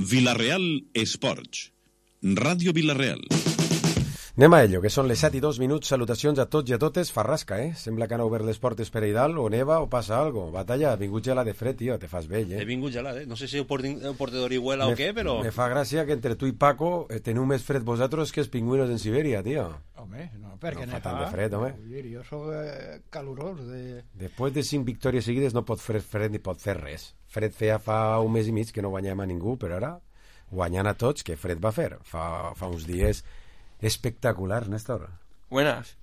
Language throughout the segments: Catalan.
Vila-real Esports. Ràdio Vila-real. Anem a ello, que són les 7:02. Salutacions a tots i a totes. Farrasca, Sembla que han obert les portes per Eidal, o neva, o passa algo. Batalla, ha vingut gelat de fred, tio, te fas vell, He vingut gelat, No sé si el portador huela o què, però... Me fa gràcia que entre tu i Paco teniu més fred vosaltres que els pingüinos en Sibèria, tio. Home, no, perquè no fa tant de fred, home. Jo soc calorós. Després de 5 victòries seguides no pot fer fred ni pot fer res. Fred feia fa un mes i mig que no guanyem a ningú, però ara guanyant a tots, que fred va fer. Fa uns dies espectacular, Néstor. Buenas.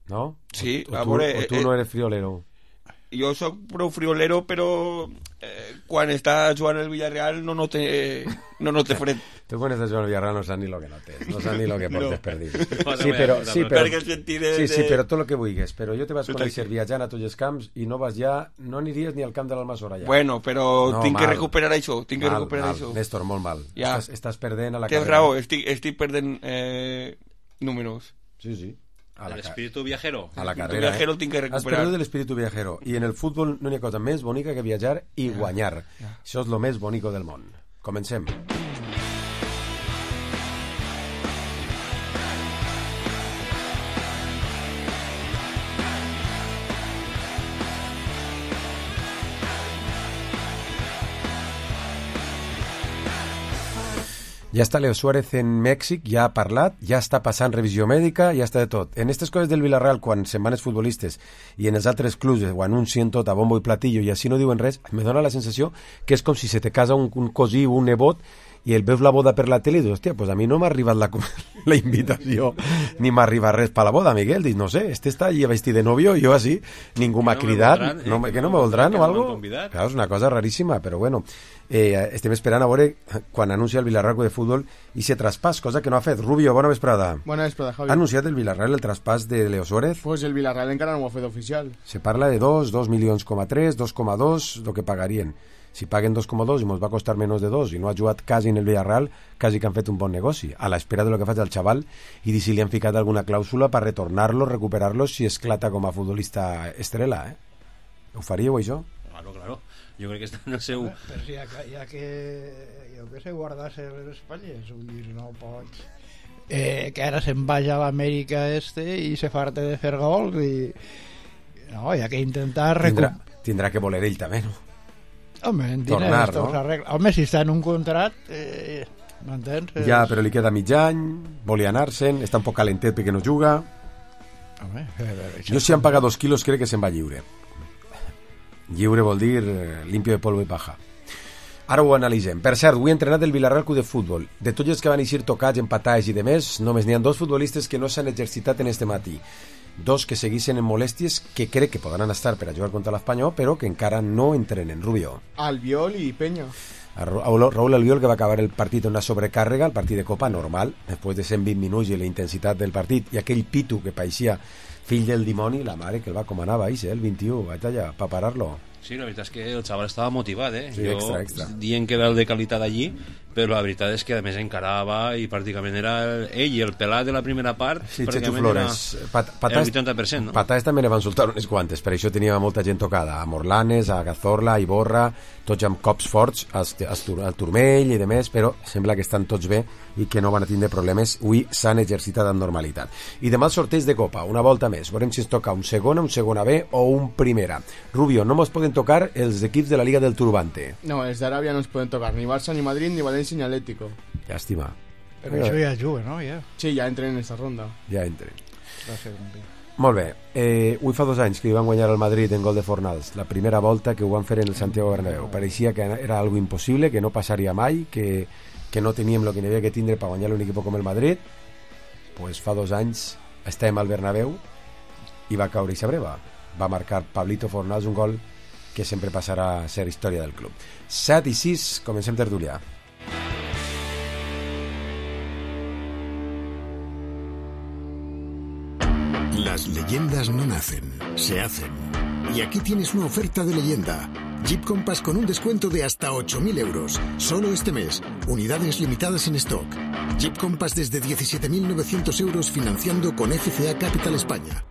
¿No? Sí, o tú no eres friolero. Jo soc prou friolero, però quan està jugant el Villarreal no note fred. Tu quan estàs jugant al Villarreal no saps ni lo que notes, no saps ni lo que portes per dir. Sí, però tot el que vulguis. Però jo te vas conèixer viatjant a tots els camps i no aniries ni al camp de l'Almassora ja. Bueno, però tinc que recuperar això. Néstor, molt mal. Ja. Estàs perdent a la carrera. Tens raó, estic perdent números. Sí. El espíritu viajero. A la carrera, el tinc que recuperar. Has perdut l'espíritu viajero. I en el futbol no hi ha cosa més bonica que viatjar i guanyar. Això és lo més bonico del món. Comencem. Ja està Leo Suárez en Mèxic, ja ha parlat, ja està passant revisió mèdica, ja està de tot. En aquestes coses del Villarreal, quan se'n van els futbolistes i en els altres clubs ho anuncien tot a bombo i platillo i així no diuen res, me dona la sensació que és com si se te casa un cosí o un nebot i el veus la boda per la tele i dius, hòstia, pues a mi no m'ha arribat la invitació ni m'ha arribat res per la boda, Miguel. Dius, no sé, està allí vestit de novio, jo així, ningú m'ha cridat, que no me voldran o algo. Clar, és una cosa raríssima, però bueno, estem esperant a veure quan anuncia el Villarreal de futbol i se traspàs, cosa que no ha fet. Rubio, bona vesprada. Bona vesprada, Javi. Ha anunciat el Villarreal el traspàs de Leo Suárez? Pues el Villarreal encara no ho ha fet oficial. Se parla de 2 milions, 2,2, lo que pagarien. Si paguen 2,2 i ens va costar menys de 2 i no ha jugat quasi en el Villarreal, quasi que han fet un bon negoci, a l'espera de lo que faci el xaval i de si li han ficat alguna clàusula per retornar-lo, recuperar-lo si esclata com a futbolista estrella, Ho faríeu, això? Claro. Jo crec que està en el seu... Però si ja que jo que sé, guardar-se les espatlles, vull dir, no pots... que ara se'n vagi a l'Amèrica i se farte de fer gols i... No, hi ha que intentar... Tindrà que voler ell també, no? Home, en tornar, no? Home, si està en un contrat, m'entens? Ja, però li queda mig any, volia anar-se'n, està un poc calentet perquè no juga. Home, jo si han pagat 2 quilos crec que se'n va lliure. Lliure vol dir limpio de polvo i paja. Ara ho analitzem. Per cert, avui he entrenat el Villarreal Club de Futbol. De tots els que van eixir tocats, empatats i demés, només n'hi ha 2 futbolistes que no s'han exercitat en este matí. 2 que seguissin en molèsties que crec que podran estar per a jugar contra l'Espanyol, però que encara no entrenen. Rubio. Albiol i Peña. Raúl Albiol, que va acabar el partit en una sobrecàrrega, el partit de Copa normal, després de 120 minuts i la intensitat del partit, i aquell pitu que pareixia fill del dimoni, la mare que el va comanava, el 21, vaig allà, per parar-lo. Sí, la veritat és que el xaval estava motivat, Sí, jo extra. Dient que era el de qualitat allí, però la veritat és que a més encarava i pràcticament era ell i el pelat de la primera part, sí, pràcticament Flores. Era el 80%, no? Patàs també ne van soltar unes quantes, per això tenia molta gent tocada, a Morlanes, a Cazorla, a Iborra, tots amb cops forts, al turmell i demés, però sembla que estan tots bé i que no van a tindre problemes. Avui s'han exercitat amb normalitat. I demà el sorteig de Copa, una volta més. Veurem si ens toca un segona B o un primera. Rubio, no ens poden tocar els equips de la Liga del Turbante. No, els d'Aràbia no ens poden tocar, ni Barça, ni Madrid, ni València, ni Atlético. Llàstima. Però això ja juga, no? Ja. Sí, ja entren en aquesta ronda. Ja entren. Molt bé. Avui fa 2 anys que van guanyar el Madrid en gol de Fornals, la primera volta que ho van fer en el Santiago Bernabéu. Pareixia que era algo impossible, que no passaria mai, que no teníem el que n'hi havia que tindre per guanyar un equip com el Madrid. Pues fa 2 anys estem al Bernabéu i va caure eixa breva. Va marcar Pablito Fornals un gol que sempre passarà a ser història del club. 7:06, comencem tertulià. Las leyendas no nacen, se hacen. Y aquí tienes una oferta de leyenda. Jeep Compass con un descuento de hasta 8.000 euros. Solo este mes. Unidades limitadas en stock. Jeep Compass desde 17.900 euros financiando con FCA Capital España.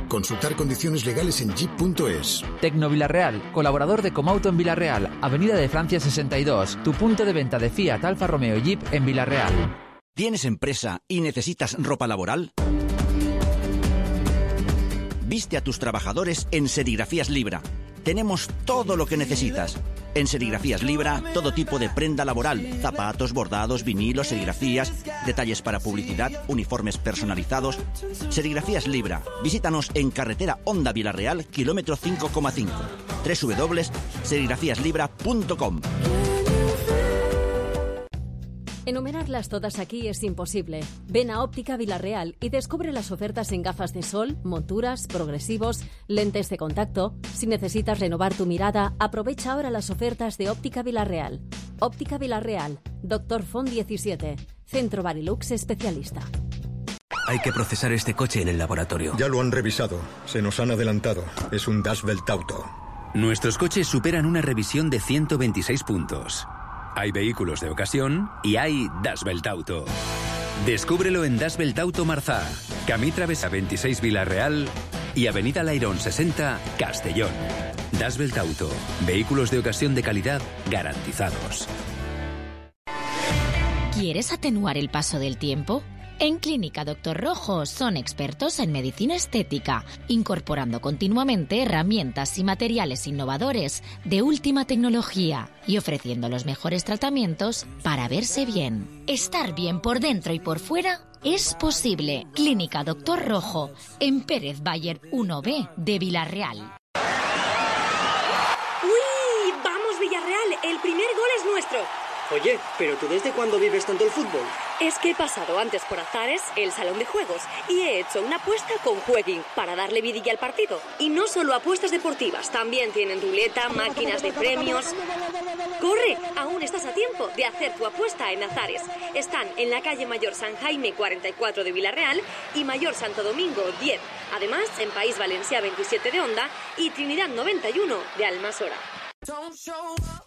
Consultar condiciones legales en jeep.es. Tecnovilarreal, colaborador de Comauto en Villarreal, Avenida de Francia 62, tu punto de venta de Fiat, Alfa Romeo y Jeep en Villarreal. ¿Tienes empresa y necesitas ropa laboral? Viste a tus trabajadores en Serigrafías Libra. Tenemos todo lo que necesitas. En Serigrafías Libra, todo tipo de prenda laboral, zapatos, bordados, vinilos, serigrafías, detalles para publicidad, uniformes personalizados. Serigrafías Libra. Visítanos en carretera Honda Villarreal, kilómetro 5,5. www.serigrafíaslibra.com. Enumerarlas todas aquí es imposible. Ven a Óptica Villarreal y descubre las ofertas en gafas de sol, monturas, progresivos, lentes de contacto. Si necesitas renovar tu mirada, aprovecha ahora las ofertas de Óptica Villarreal. Óptica Villarreal, Dr. Font 17, Centro Barilux especialista. Hay que procesar este coche en el laboratorio. Ya lo han revisado. Se nos han adelantado. Es un Dashbelt Auto. Nuestros coches superan una revisión de 126 puntos. Hay vehículos de ocasión y hay Dashbelt Auto. Descúbrelo en Dashbelt Auto Marzá, Camí Travesa 26 Villarreal y Avenida Lairón 60 Castellón. Dashbelt Auto. Vehículos de ocasión de calidad garantizados. ¿Quieres atenuar el paso del tiempo? En Clínica Dr. Rojo son expertos en medicina estética, incorporando continuamente herramientas y materiales innovadores de última tecnología y ofreciendo los mejores tratamientos para verse bien. Estar bien por dentro y por fuera es posible. Clínica Dr. Rojo, en Pérez Bayer 1B de Villarreal. ¡Uy! ¡Vamos, Villarreal! El primer gol es nuestro. Oye, ¿pero tú desde cuándo vives tanto el fútbol? Es que he pasado antes por Azares, el salón de juegos, y he hecho una apuesta con Jueguin para darle vidilla al partido. Y no solo apuestas deportivas, también tienen ruleta, máquinas de premios. ¡Corre! Aún estás a tiempo de hacer tu apuesta en Azares. Están en la calle Mayor San Jaime 44 de Villarreal y Mayor Santo Domingo 10. Además, en País Valencià 27 de Onda y Trinidad 91 de Almasora.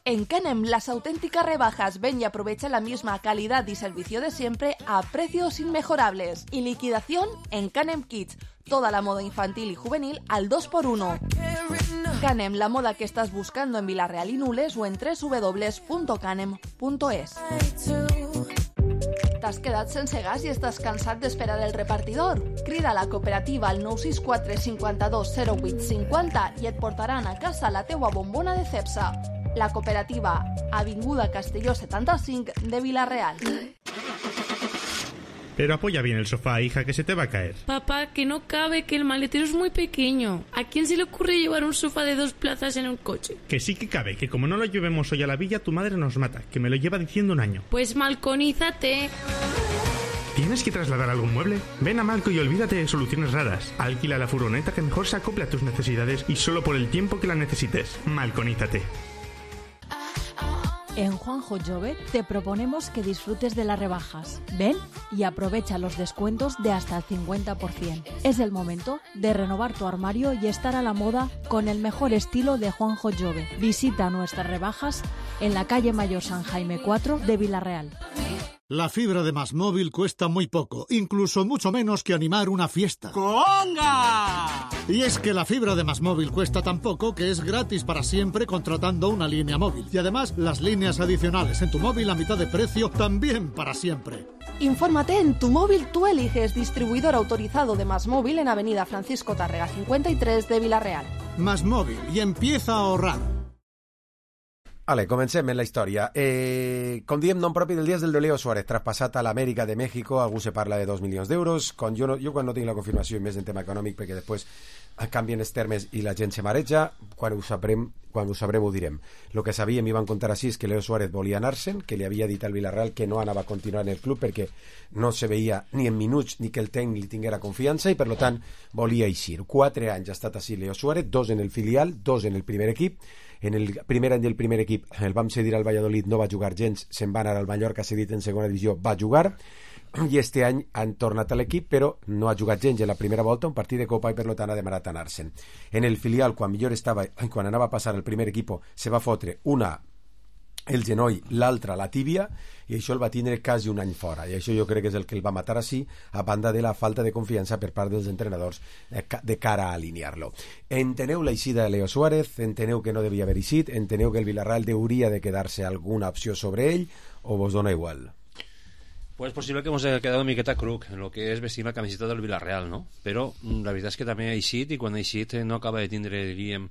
En Canem, las auténticas rebajas. Ven y aprovecha la misma calidad y servicio de siempre a precios inmejorables. Y liquidación en Canem Kids. Toda la moda infantil y juvenil al 2x1. Canem, la moda que estás buscando en Villarreal y Nules o en www.canem.es. T'has quedat sense gas i estàs cansat d'esperar el repartidor? Crida a la cooperativa al 964 52 08 50 i et portaran a casa la teua bombona de Cepsa. La cooperativa, Avinguda Castelló 75 de Villarreal. Pero apoya bien el sofá, hija, que se te va a caer. Papá, que no cabe, que el maletero es muy pequeño. ¿A quién se le ocurre llevar un sofá de 2 plazas en un coche? Que sí que cabe, que como no lo llevemos hoy a la villa, tu madre nos mata, que me lo lleva diciendo un año. Pues malconízate. ¿Tienes que trasladar algún mueble? Ven a Malco y olvídate de soluciones raras. Alquila la furgoneta que mejor se acople a tus necesidades y solo por el tiempo que la necesites. Malconízate. En Juanjo Jove te proponemos que disfrutes de las rebajas. Ven y aprovecha los descuentos de hasta el 50%. Es el momento de renovar tu armario y estar a la moda con el mejor estilo de Juanjo Jove. Visita nuestras rebajas en la calle Mayor San Jaime 4 de Villarreal. La fibra de MásMóvil cuesta muy poco, incluso mucho menos que animar una fiesta. ¡Conga! Y es que la fibra de MásMóvil cuesta tan poco que es gratis para siempre contratando una línea móvil. Y además, las líneas adicionales en tu móvil a mitad de precio también para siempre. Infórmate en Tu Móvil Tú Eliges, distribuidor autorizado de MásMóvil en Avenida Francisco Tárrega 53 de Villarreal. MásMóvil, y empieza a ahorrar. Vale, comencem en la història. Com diem, nom propi del dia és del de Leo Suárez, traspassat a l'Amèrica de México. Algú se parla de 2 milions d'euros. Jo quan no tinc la confirmació, i més en tema econòmic, perquè després canvien els termes i la gent se mareja, quan ho sabrem ho direm. El que sabíem i van contar així és que Leo Suárez volia anar-se'n, que li havia dit al Villarreal que no anava a continuar en el club perquè no se veia ni en minuts ni que el tècnic li tinguera confiança i per tant volia eixir. 4 anys ha estat així Leo Suárez, 2 en el filial, 2 en el primer equip. En el primer any del primer equip el vam cedir al Valladolid, no va jugar gens, se'n va anar al Mallorca, cedit en segona divisió, va jugar, i este any han tornat a l'equip, però no ha jugat gens en la primera volta, un partit de Copa, i per tant ha demanat anar-se'n. En el filial, quan millor estava, quan anava a passar al primer equip, se va fotre una el genoll, l'altre la tíbia, i això el va tindre quasi un any fora, i això jo crec que és el que el va matar així, a banda de la falta de confiança per part dels entrenadors de cara a alinear-lo. Enteneu l'eixida de Leo Suárez, enteneu que no devia haver eixit, enteneu que el Villarreal hauria de quedar-se alguna opció sobre ell, o vos dona igual? Pues es posible que hemos quedado una miqueta cruc en lo que es vestir la camiseta del Villarreal, ¿no? Però la veritat és que també ha eixit, i quan ha eixit no acaba de tindre, diríem,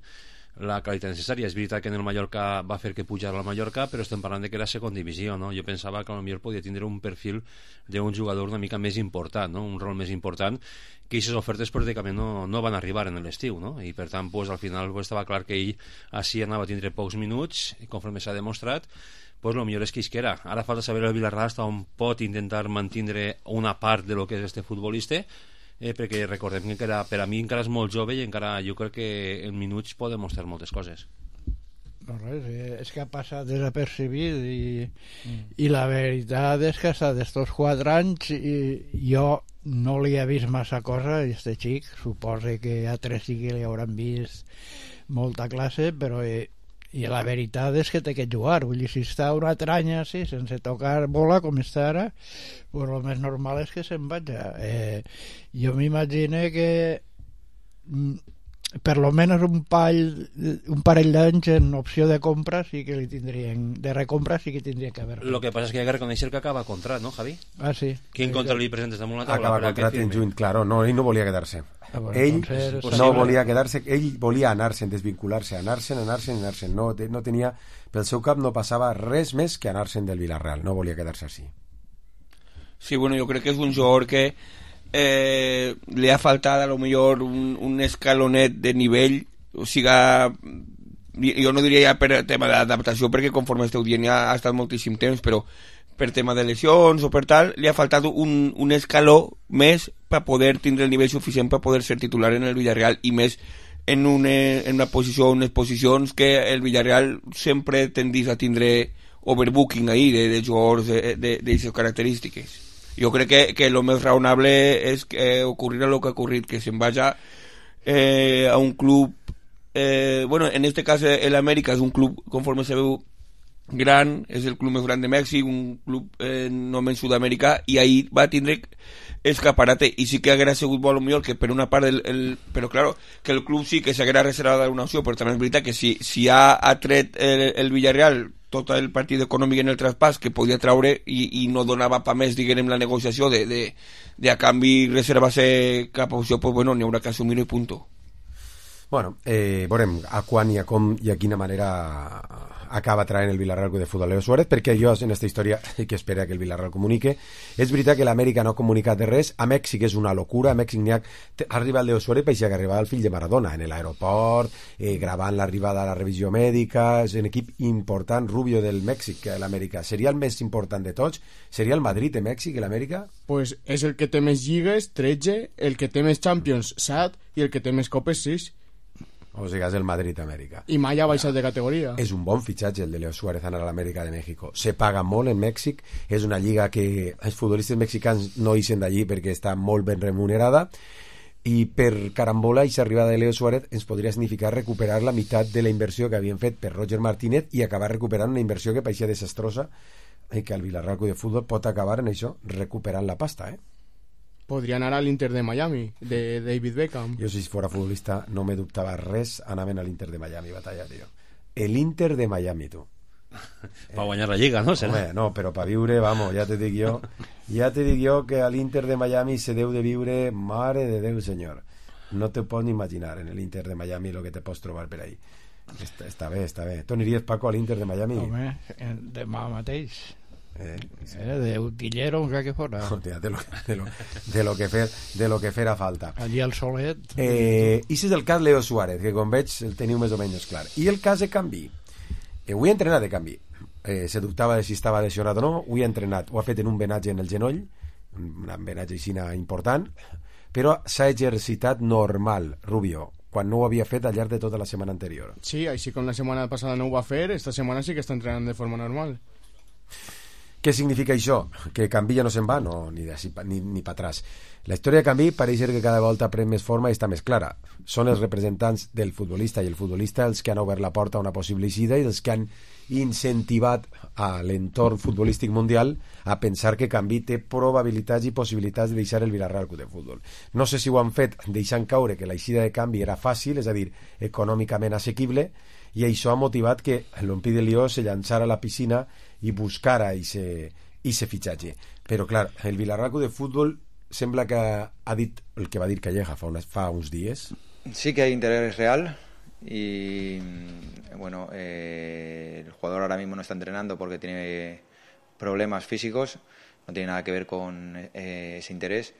la qualitat necessària. És veritat que en el Mallorca va fer que pujar al Mallorca, però estem parlant de que era segona divisió, no? Jo pensava que potser podia tindre un perfil d'un jugador una mica més important, no? Un rol més important, que aquestes ofertes pràcticament no van arribar en l'estiu, no? I per tant, pues, al final pues, estava clar que ell així anava a tindre pocs minuts, i conforme s'ha demostrat, pues lo millor és que isquera. Ara falta saber el Villarreal hasta on pot intentar mantindre una part de lo que és este futbolista, perquè recordem que encara, per a mi encara és molt jove i encara jo crec que en minuts pot demostrar moltes coses. No res, és que ha passat desapercebit i la veritat és que hasta d'estos 4 anys jo no li he vist massa cosa a este xic, suposo que a 3 sí que li hauran vist molta classe, però i la veritat és que té que jugar, vull dir, si està una altre any així, sense tocar bola com està ara, pues el més normal és que se'n vaja. Jo m'imagino que per lo menos un parell d'anys en opció de compra sí que li tindrien, de recompra sí que tindria que haver. Lo que pasa es que hay que reconocer que acaba contrat, ¿no, Javi? Ah, sí. ¿Quién contra li presentes damunt la taula? Acaba contrat en juny, claro, no, ell no volia quedar-se. Bueno, ell no volia quedar-se, ell volia anar-se'n, desvincular-se, anar-se'n, no tenia, pel seu cap no passava res més que anar-se'n del Villarreal, no volia quedar-se així. Sí, bueno, jo crec que és un jugador que le ha faltat a lo millor un escalonet de nivell, o siga, jo no diria ja per tema d'adaptació, perquè conforme esteu dient ja ha estat moltíssim temps, però per tema de lesions o per tal, li ha faltat un escaló més per poder tindre el nivell suficient per poder ser titular en el Villarreal, i més en una posició, unes posicions que el Villarreal sempre tendís a tindre overbooking ahí de jugadors d'aquestes característiques. Jo crec que lo més raonable és que ocurrirà lo que ha ocurrit, que se'n vaya a un club, bueno, en este cas el América és un club, conforme se veu, gran, és el club més gran de Mèxic, un club només Sud-amèrica, i ahí va tindre escaparate, i sí que haguera sigut molt millor que per una part però claro, que el club sí que s'haguera reservat una opció, però també és veritat que si ha tret el Villarreal tot el partit econòmic en el traspàs que podia traure i no donava pa més, diguem, la negociació de a canvi reservar-se cap opció, pues bueno, n'hi haurà que assumir-ho i punto. Bueno, veurem a quan i a com i a quina manera acaba traient el Villarreal de futbol Leo Suárez, perquè jo en aquesta història que espera que el Villarreal comunique. És veritat que l'Amèrica no ha comunicat de res, a Mèxic és una locura, a Mèxic n'hi ha arribat el Leo Suárez per que arribava el fill de Maradona en l'aeroport, gravant l'arribada a la revisió mèdica, és un equip important, Rubio del Mèxic, que l'Amèrica. Seria el més important de tots? Seria el Madrid de Mèxic i l'Amèrica? Pues és el que té més lligues, 13, el que té més Champions, 7, i el que té més copes, 6. O sigui, és el Madrid-Amèrica. I mai ha baixat de categoria. És un bon fitxatge el de Leo Suárez anar a l'Amèrica de México. Se paga molt en Mèxic, és una lliga que els futbolistes mexicans no ixen d'allí perquè està molt ben remunerada, i per carambola i arribada de Leo Suárez ens podria significar recuperar la meitat de la inversió que havien fet per Roger Martínez i acabar recuperant una inversió que pareixia desastrosa i que el Villarreal de Futbol pot acabar en això, recuperant la pasta, Podria anar a l'Inter de Miami, de David Beckham. Jo, si fora futbolista, no me dubtava res, anaven a l'Inter de Miami, batalla, tio. L'Inter de Miami, tu. Per guanyar la Lliga, no? Home, no, però per viure, vamos, ja te dic jo que a l'Inter de Miami se deu de viure, mare de Déu, senyor. No te pots ni imaginar en l'Inter de Miami lo que te pots trobar per ahí. Està bé, està bé. Tu aniries, Paco, a l'Inter de Miami? Home, demà mateix. De utillero, aunque que fuera. De lo que fera falta. Allí al solet. I si és el cas Leo Suárez, que com veig el teniu més o menys clar. I el cas de Canvi. Avui ha entrenat de Canvi. Se dubtava de si estava lesionat o no. Avui ha entrenat, ho ha fet en un venatge en el genoll, un venatge aixina important, però s'ha exercitat normal, Rubio, quan no ho havia fet al llarg de tota la setmana anterior. Sí, així com la setmana passada no ho va fer, esta setmana sí que està entrenant de forma normal. Què significa això? Que Canvi ja no se'n va? No, ni pa atrás. La història de Canvi pareix ser que cada volta pren més forma i està més clara. Són els representants del futbolista i el futbolista els que han obert la porta a una possible eixida i els que han incentivat a l'entorn futbolístic mundial a pensar que Canvi té probabilitats i possibilitats de deixar el Villarreal Club de Futbol. No sé si ho han fet deixant caure que l'eixida de Canvi era fàcil, és a dir, econòmicament assequible, i això ha motivat que l'Olympique de Lió se llançara a la piscina i buscara ese fitxatge. Però clar, el Villarreal Club de Futbol sembla que ha dit el que va dir Calleja fa uns dies. Sí que hay interés real y bueno, el jugador ahora mismo no está entrenando porque tiene problemas físicos, no tiene nada que ver con ese interés.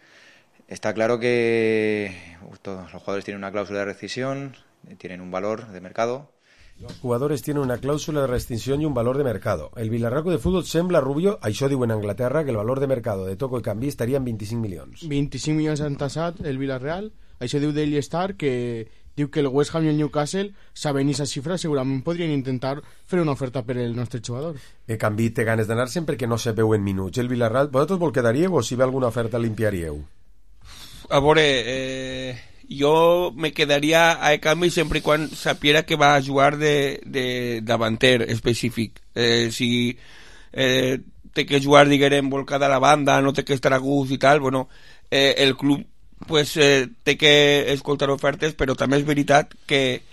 Está claro que todos los jugadores tienen una cláusula de rescisión, tienen un valor de mercado. Los jugadores tienen una cláusula de rescisión y un valor de mercado. El Villarreal Club de Futbol sembla, Rubio, això diu en Anglaterra, que el valor de mercado de Toko i Canvi estaria en 25 milions. 25 milions han tassat el Villarreal. Això diu Daily Star, que diu que el West Ham i el Newcastle, sabent aquesta xifra, segurament podrien intentar fer una oferta per el nostre jugador. Canvi té ganes d'anar-se'n perquè no se veu en minuts. El Villarreal, vosaltres vol quedaríeu o si ve alguna oferta limpiaríeu? A veure, jo me quedaria a canvi sempre i quan sapiera que va a jugar de davanter específic. Si té que jugar, diguem, volcada a la banda, no té que estar a gust i tal, bueno, el club pues té que escoltar ofertes, però també és veritat que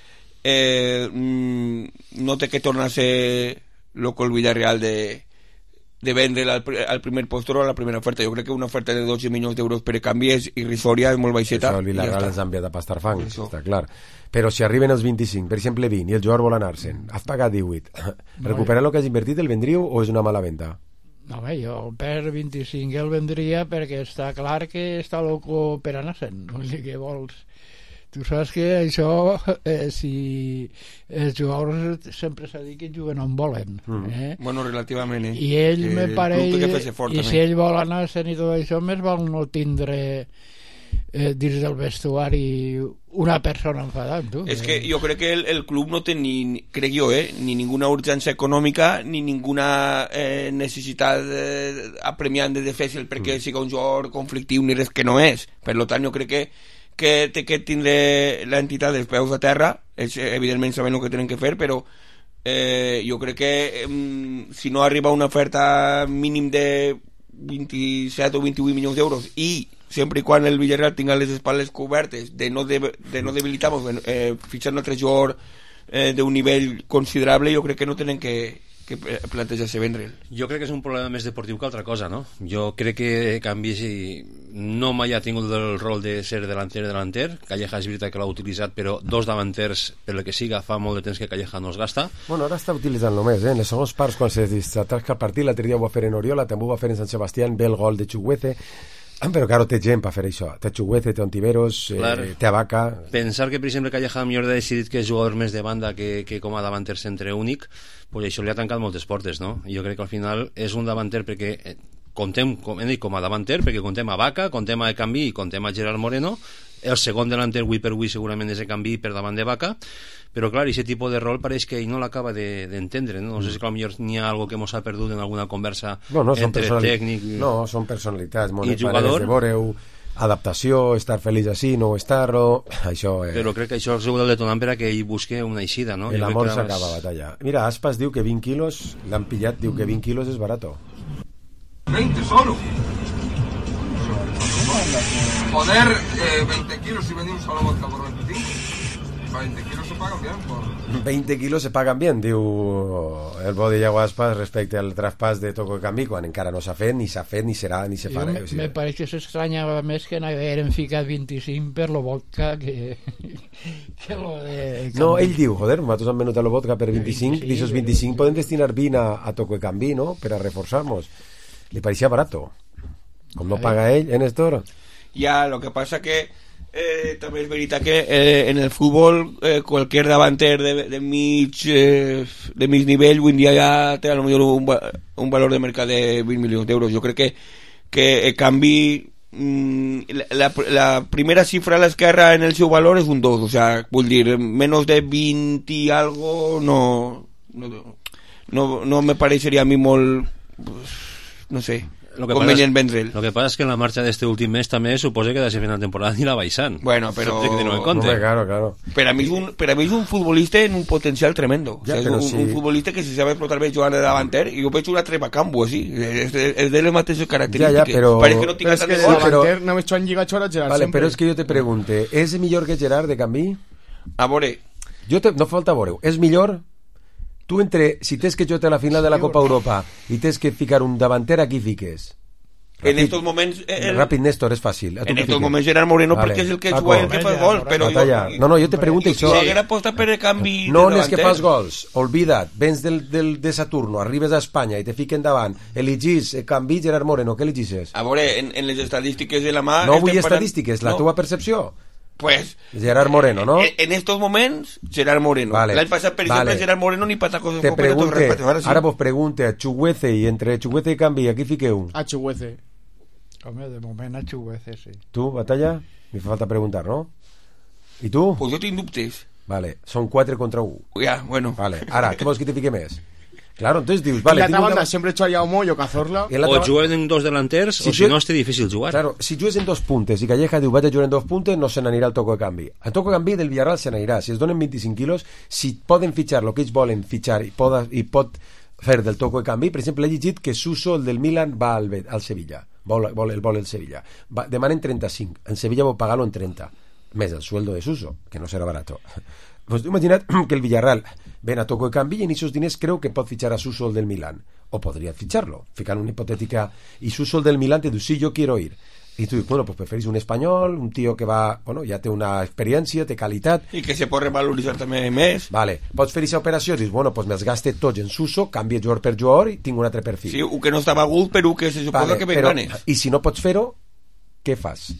no té que tornar a ser loco el Villarreal de vendre al primer postor o a la primera oferta. Jo crec que una oferta de 12 milions d'euros per canvi és irrisòria, és molt baixeta. Això el Villarreal ens ha enviat a pastar fang, està clar. Però si arriben els 25, per exemple 20, i el jugador vol anar-se'n, has pagat 18, recuperar el que has invertit el vendríeu o és una mala venda? No, bé, jo per 25 el vendria perquè està clar que està loco per anar-se'n. No sé què vols. Tu saps que això, si els jugadors sempre s'ha dit que juguen on volen. Bueno, relativament, I ell me pareix, i si ell vol anar-se'n i tot això, més val no tindre dins del vestuari una persona enfadant, tu. És que jo crec que el club no té crec jo, ni ninguna urgència econòmica ni ninguna necessitat apremiant de fer-se'l perquè siga un jugador conflictiu ni res que no és. Per tant, jo crec que té que tindre l'entitat dels peus a terra, evidentment saben el que tenen que fer, però jo crec que si no arriba una oferta mínim de 27 o 28 milions d'euros i sempre i quan el Villarreal tinga les espatlles cobertes de no debilitar-nos fitxar un altre jugador d'un nivell considerable, jo crec que no tenen que plantejar-se vendre'l. Jo crec que és un problema més deportiu que altra cosa, no? Jo crec que Canvi no mai ha tingut el rol de ser delanter. Calleja és veritat que l'ha utilitzat, però dos davanters, per el que siga, fa molt de temps que Calleja no es gasta. Bueno, ara està utilitzant només, en les segons parts, quan se distratasca el partit, l'altre dia ho va fer en Oriola, també ho va fer en Sant Sebastián, ve el gol de Chukwueze. Però claro, té gent per fer això. Té Chukwueze, té Ontiveros, té Abaca. Pensar que, per exemple, Calleja millor ha decidit que és jugador més de banda que com a davanter centre únic, pues això li ha tancat moltes portes, no? Jo crec que al final és un davanter perquè contem, com a davanter, perquè contem a Abaca, contem a Canvi i contem a Gerard Moreno. El segon delanter, avui per avui, segurament és de Canvi per davant de Abaca. Però clar, aquest tipus de rol pareix que ell no l'acaba d'entendre, no? No sé si potser n'hi ha algo que mos ha perdut en alguna conversa entre tècnic són personalitats, i jugador, de veure-ho, adaptació, estar feliç així, no estar-ho, això... Però crec que això és el detonant per a que ell busque una eixida, no? El amor s'acaba a batalla. Mira, Aspas diu que 20 quilos, l'han pillat, diu que 20 quilos és barato. 20 solo. Joder, 20 kilos si vendimos a la vodka por 25. 20 kilos se pagan bien por... 20 kilos se pagan bien, diu el Bodillau Aspas respecte al traspàs de Toko i Canvi, quan encara no s'ha fet, ni serà, ni se farà. Me pareix que s'estranyava més que n'hagueren ficat 25 per lo vodka que lo de... No, ell diu, joder, nosaltres hem venut a lo vodka per 25, i aquests 25 podem destinar 20 a Toko i Canvi, no?, per a reforçar-nos. Li pareixia barato. Com no paga ell, Néstor? Ja, lo que passa que també és veritat que en el futbol qualsevol davanter de mig nivell avui en dia ja té a lo millor un valor de mercat de 20 milions d'euros. Jo crec que en canvi la primera cifra a l'esquerra en el seu valor és un 2, o sea, vull dir, menos de 20 y algo no me parecería a mi molt no sé, Lo que convenient vendre'l. Lo que pasa es que en la marcha de este último mes també suposa que de ser final de temporada ni la baixant. Bueno, però... Claro. Per a mi és un futbolista en un potencial tremendo. Ja, o sea, és un futbolista que se sabe explotar bé jugant de davanter i jo veig una Trepacampo, així. És de les mateixes característiques. Però... Parece que no tinga tant de gol. Davanter només Joan Lliga Chora Gerard vale, sempre. però és que jo te pregunte, és millor que Gerard de canvi? A veure... No falta veure, és millor? Tu si tens que jugar a la final de la Copa Europa i tens que ficar un davanter, a qui fiques? En estos moments... Ràpid, Néstor, és fàcil. En estos moments Gerard Moreno, perquè és el que juga i el que fa gol, però jo te pregunto això. Si haguera apostat per el canvi no de és que davanter... fas gols, olvida't, vens de Saturno, arribes a Espanya i te fiquen davant, eligis canvi Gerard Moreno, què eligisses? A veure, en les estadístiques de la mà... No vull estadístiques, la teva percepció. Pues Gerard Moreno, ¿no? En estos moments, Gerard Moreno. Vale. L'any passat, per exemple, Gerard Moreno ni patacos. Te pregunte, ara vos pregunte a Chuguece i entre Chuguece i Canvi, aquí fiqueu? A Chuguece. Home, de moment a Chuguece, sí. Tu, Batalla? Me fa falta preguntar, ¿no? I tu? Pues jo tinc dubtes. Vale, són 4 contra 1. Ja, bueno. Vale, ara, què vols que te fique més? Claro, entonces dius, vale... En la otra banda siempre echaría a Moyo, Cazorla... O juguen en dos delanters, o si no, és difícil jugar. Claro, si jugues en 2 puntes i Calleja diu, vaig a jugar en 2 puntes, no se n'anirà al toco de canvi. Al toco de canvi del Villarreal se n'anirà. Si es donen 25 quilos, si poden fitxar el que ells volen fitxar i pot fer del toco de canvi, per exemple, he llegit que Suso, el del Milan, va al Sevilla. Vol el Sevilla. Demanen 35. En Sevilla vol pagar-lo en 30. Més el sueldo de Suso, que no serà barato. Pues imagina't que el Villarreal ven a toco de canvi i en esos diners creu que pot fitxar a Suso el del Milan. O podria ficharlo, ficar una hipotètica... I Suso el del Milan te diu, sí, yo quiero ir. Y tú dices, bueno, pues preferís un español, un tío que va, bueno, ja té una experiència, té qualitat... I que se pot revaloritzar també més. Vale, pots fer aquesta operació, dius, bueno, pues me'ls gaste tots en Suso, canvie jugador per jugador i tinc un altre perfil. Sí, un que no estava agut, però que se suposa que ven ganes. I si no pots fer-ho, què fas?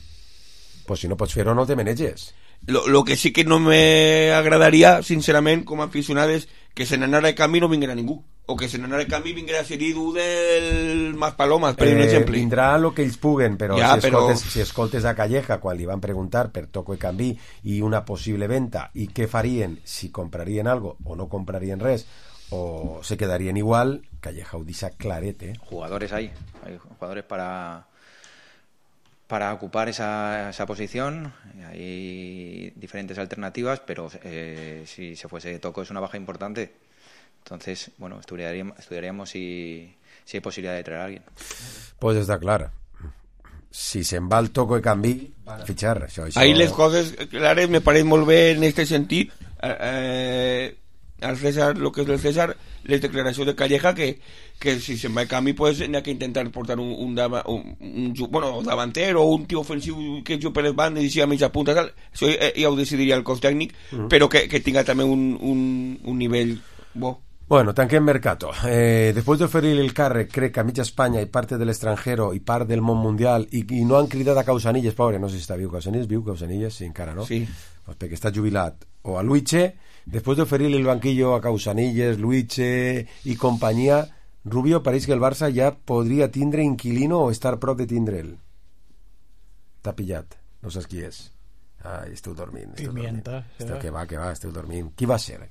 Pues si no pots fer-ho, no te maneges. Lo que sí que no me agradaria, sincerament, com a aficionat, és que se n'anara de canvi no vinguera ningú. O que se n'anara de canvi vinguera Seridu del Maspalomas, per un exemple. Vindrà el que ells puguen, però, ja, si escoltes a Calleja quan li van preguntar per toco de canvi i una possible venta i què farien, si comprarien algo o no comprarien res, o se quedarien igual, Calleja ho deixa claret, Jugadores hay jugadores para ocupar esa posición. Hay diferentes alternativas, pero si se fuese Toco es una baja importante. Entonces, bueno, estudiaríamos si hay posibilidad de traer a alguien. Pues està clar. Si se'n va el Toco de canvi, van a fitxar. Això. Ahí les coses clares me pareix molt bé en este sentit. Al César, lo que és del César, les declaracions de Calleja que si se'n va de canvi pues n'hi ha que intentar portar un davanter o un tio ofensiu que juga per les bandes i sigui a mitja punta tal. Això ja ho decidiria el cos tècnic, però que tinga també un nivell bo. Bueno, tanquem mercato. Después de oferir el càrrec, crec que a mitja Espanya i parte del extranjero i part del món mundial i no han cridat a Causanilles, pobre, no sé si està viu Causanilles, sí, encara, no? Sí. Pues perquè està jubilat. O a Luiche, después de oferir el banquillo a Causanilles, Luiche i companyia, Rubio pareix que el Barça ja podria tindre inquilino o estar prop de tindre'l. T'ha pillat, no saps qui és. Ai, esteu dormint. Pimienta. Que va, esteu dormint. Qui va ser?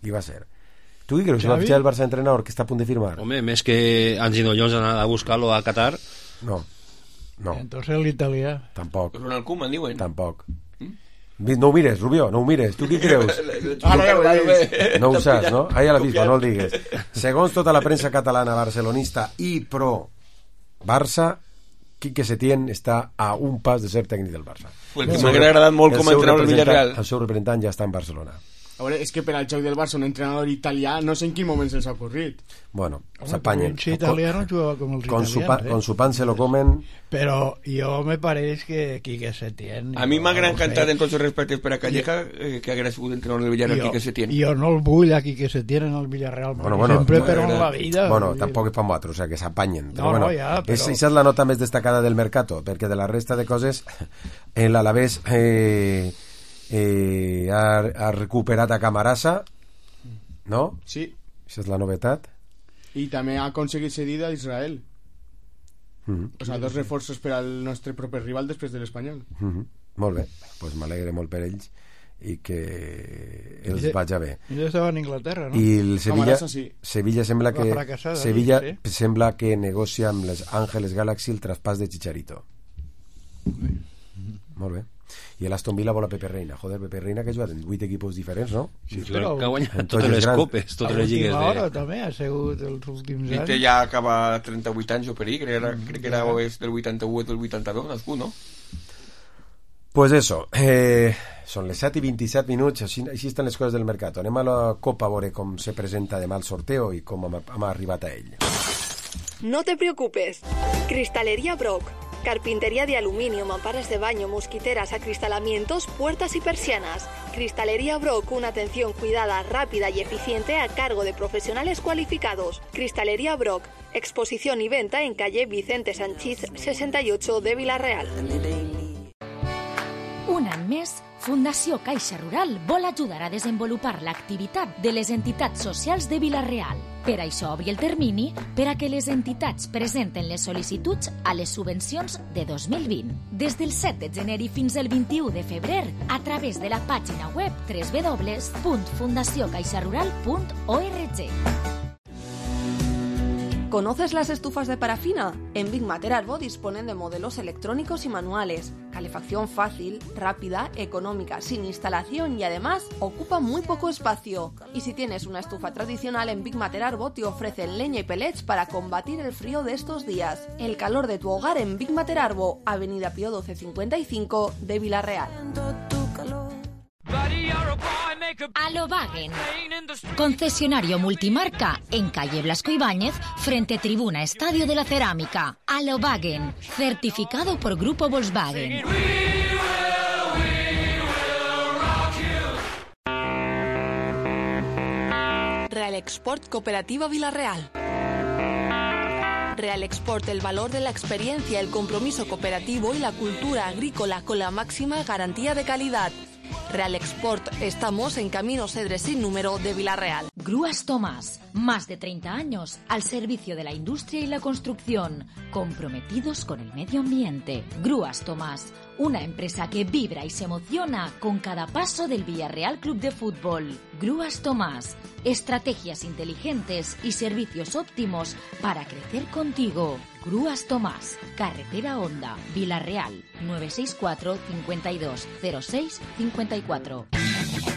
Tu què creus? Va fitxar el Barça entrenador que està a punt de firmar? Home, més que Angelo Jones anar a buscar-lo a Qatar. No. Entonces l'italià. Tampoc. Ronald Koeman, diuen. Tampoc. No ho mires, Rubio, no ho mires. Tu qui creus? No ho saps, no? Ahí a la vispa, no el digues. Segons tota la premsa catalana barcelonista i pro Barça, Quique Setién està a un pas de ser tècnic del Barça. El que m'ha agradat molt com a entrenador del Villarreal. El seu representant ja està en Barcelona. A veure, és que per al joc del Barça un entrenador italià no sé en quin moment se'ls ha ocorrit. Bueno, s'apanyen. Si italiano jugava com els italians. Con su pan se lo comen. Però jo me pareix que Quique Setién... A mi m'ha encantat en tots els respectes per a Calleja que haguera sigut entrenador del Villarreal Quique Setién. Jo no el vull a Quique Setién en el Villarreal, sempre però en la vida. Bueno, tampoc és per nosaltres, o sigui, que s'apanyen. No, ja, però... Esa és la nota més destacada del mercato, perquè de la resta de coses l'Alavés ha recuperat a Camarasa, no? Sí. Això és la novetat. I també ha aconseguit cedida a Israel. O sigui, 2 reforços per al nostre proper rival després de l'Espanyol. Molt bé, doncs m'alegre molt per ells. i que els vaja bé. Ell estava en Inglaterra, no? I el Sevilla sembla que negocia amb les Ángeles Galaxy el traspàs de Chicharito. Molt bé. I l'Aston Villa vol a Pepe Reina. Joder, Pepe Reina que ha jugat en 8 equips diferents, no? Sí, però que ha guanyat totes les copes, totes les lligues. A l'última hora també ha sigut els últims anys. I ja acaba 38 anys o per ahí, crec que era del 81 o del 82, nascut, no? Pues eso, són les 7:27 minuts, així estan les coses del mercat. Anem a la Copa a veure com se presenta demà el sorteo i com hem arribat a ell. No te preocupes. Cristalería Brock. Carpintería de aluminio, mamparas de baño, mosquiteras, acristalamientos, puertas y persianas. Cristalería Brock, una atención cuidada, rápida y eficiente a cargo de profesionales cualificados. Cristalería Brock, exposición y venta en calle Vicente Sanchís 68 de Vila-real. Un any més, Fundació Caixa Rural vol ajudar a desenvolupar l'activitat de les entitats socials de Vila-real. Per això obri el termini per a que les entitats presenten les sol·licituds a les subvencions de 2020. Des del 7 de gener i fins al 21 de febrer, a través de la pàgina web www.fundaciocaixarural.org. ¿Conoces las estufas de parafina? En Big Mater Arbo disponen de modelos electrónicos y manuales, calefacción fácil, rápida, económica, sin instalación y además ocupa muy poco espacio. Y si tienes una estufa tradicional, en Big Mater Arbo te ofrecen leña y pellets para combatir el frío de estos días. El calor de tu hogar en Big Mater Arbo, Avenida Pío 1255 de Vila-real. Alobagen, concesionario multimarca en calle Blasco Ibáñez, frente Tribuna Estadio de la Cerámica. Alobagen, certificado por Grupo Volkswagen. Real Export Cooperativa Vila-real. Real Export, el valor de la experiencia, el compromiso cooperativo y la cultura agrícola con la máxima garantía de calidad. Real Export, estamos en Camino Cedres sin número de Vila-real. Grúas Tomás, más de 30 años al servicio de la industria y la construcción, comprometidos con el medio ambiente. Grúas Tomás, una empresa que vibra y se emociona con cada paso del Villarreal Club de Fútbol. Grúas Tomás, estrategias inteligentes y servicios óptimos para crecer contigo. Grúas Tomás, Carretera Honda, Vila-real, 964 52 06 54.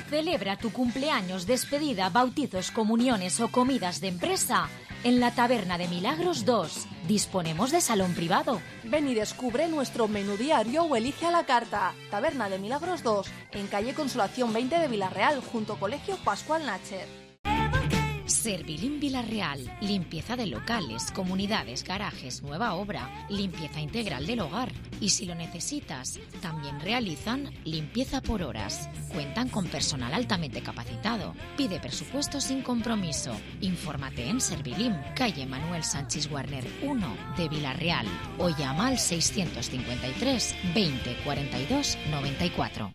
Celebra tu cumpleaños, despedida, bautizos, comuniones o comidas de empresa en la Taberna de Milagros 2. Disponemos de salón privado. Ven y descubre nuestro menú diario o elige a la carta. Taberna de Milagros 2, en calle Consolación 20 de Vila-real, junto Colegio Pascual Nacher. Servilín Vila-real, limpieza de locales, comunidades, garajes, nueva obra, limpieza integral del hogar. Y si lo necesitas, también realizan limpieza por horas. Cuentan con personal altamente capacitado. Pide presupuesto sin compromiso. Infórmate en Servilín, calle Manuel Sánchez Warner 1 de Vila-real o llama al 653 20 42 94.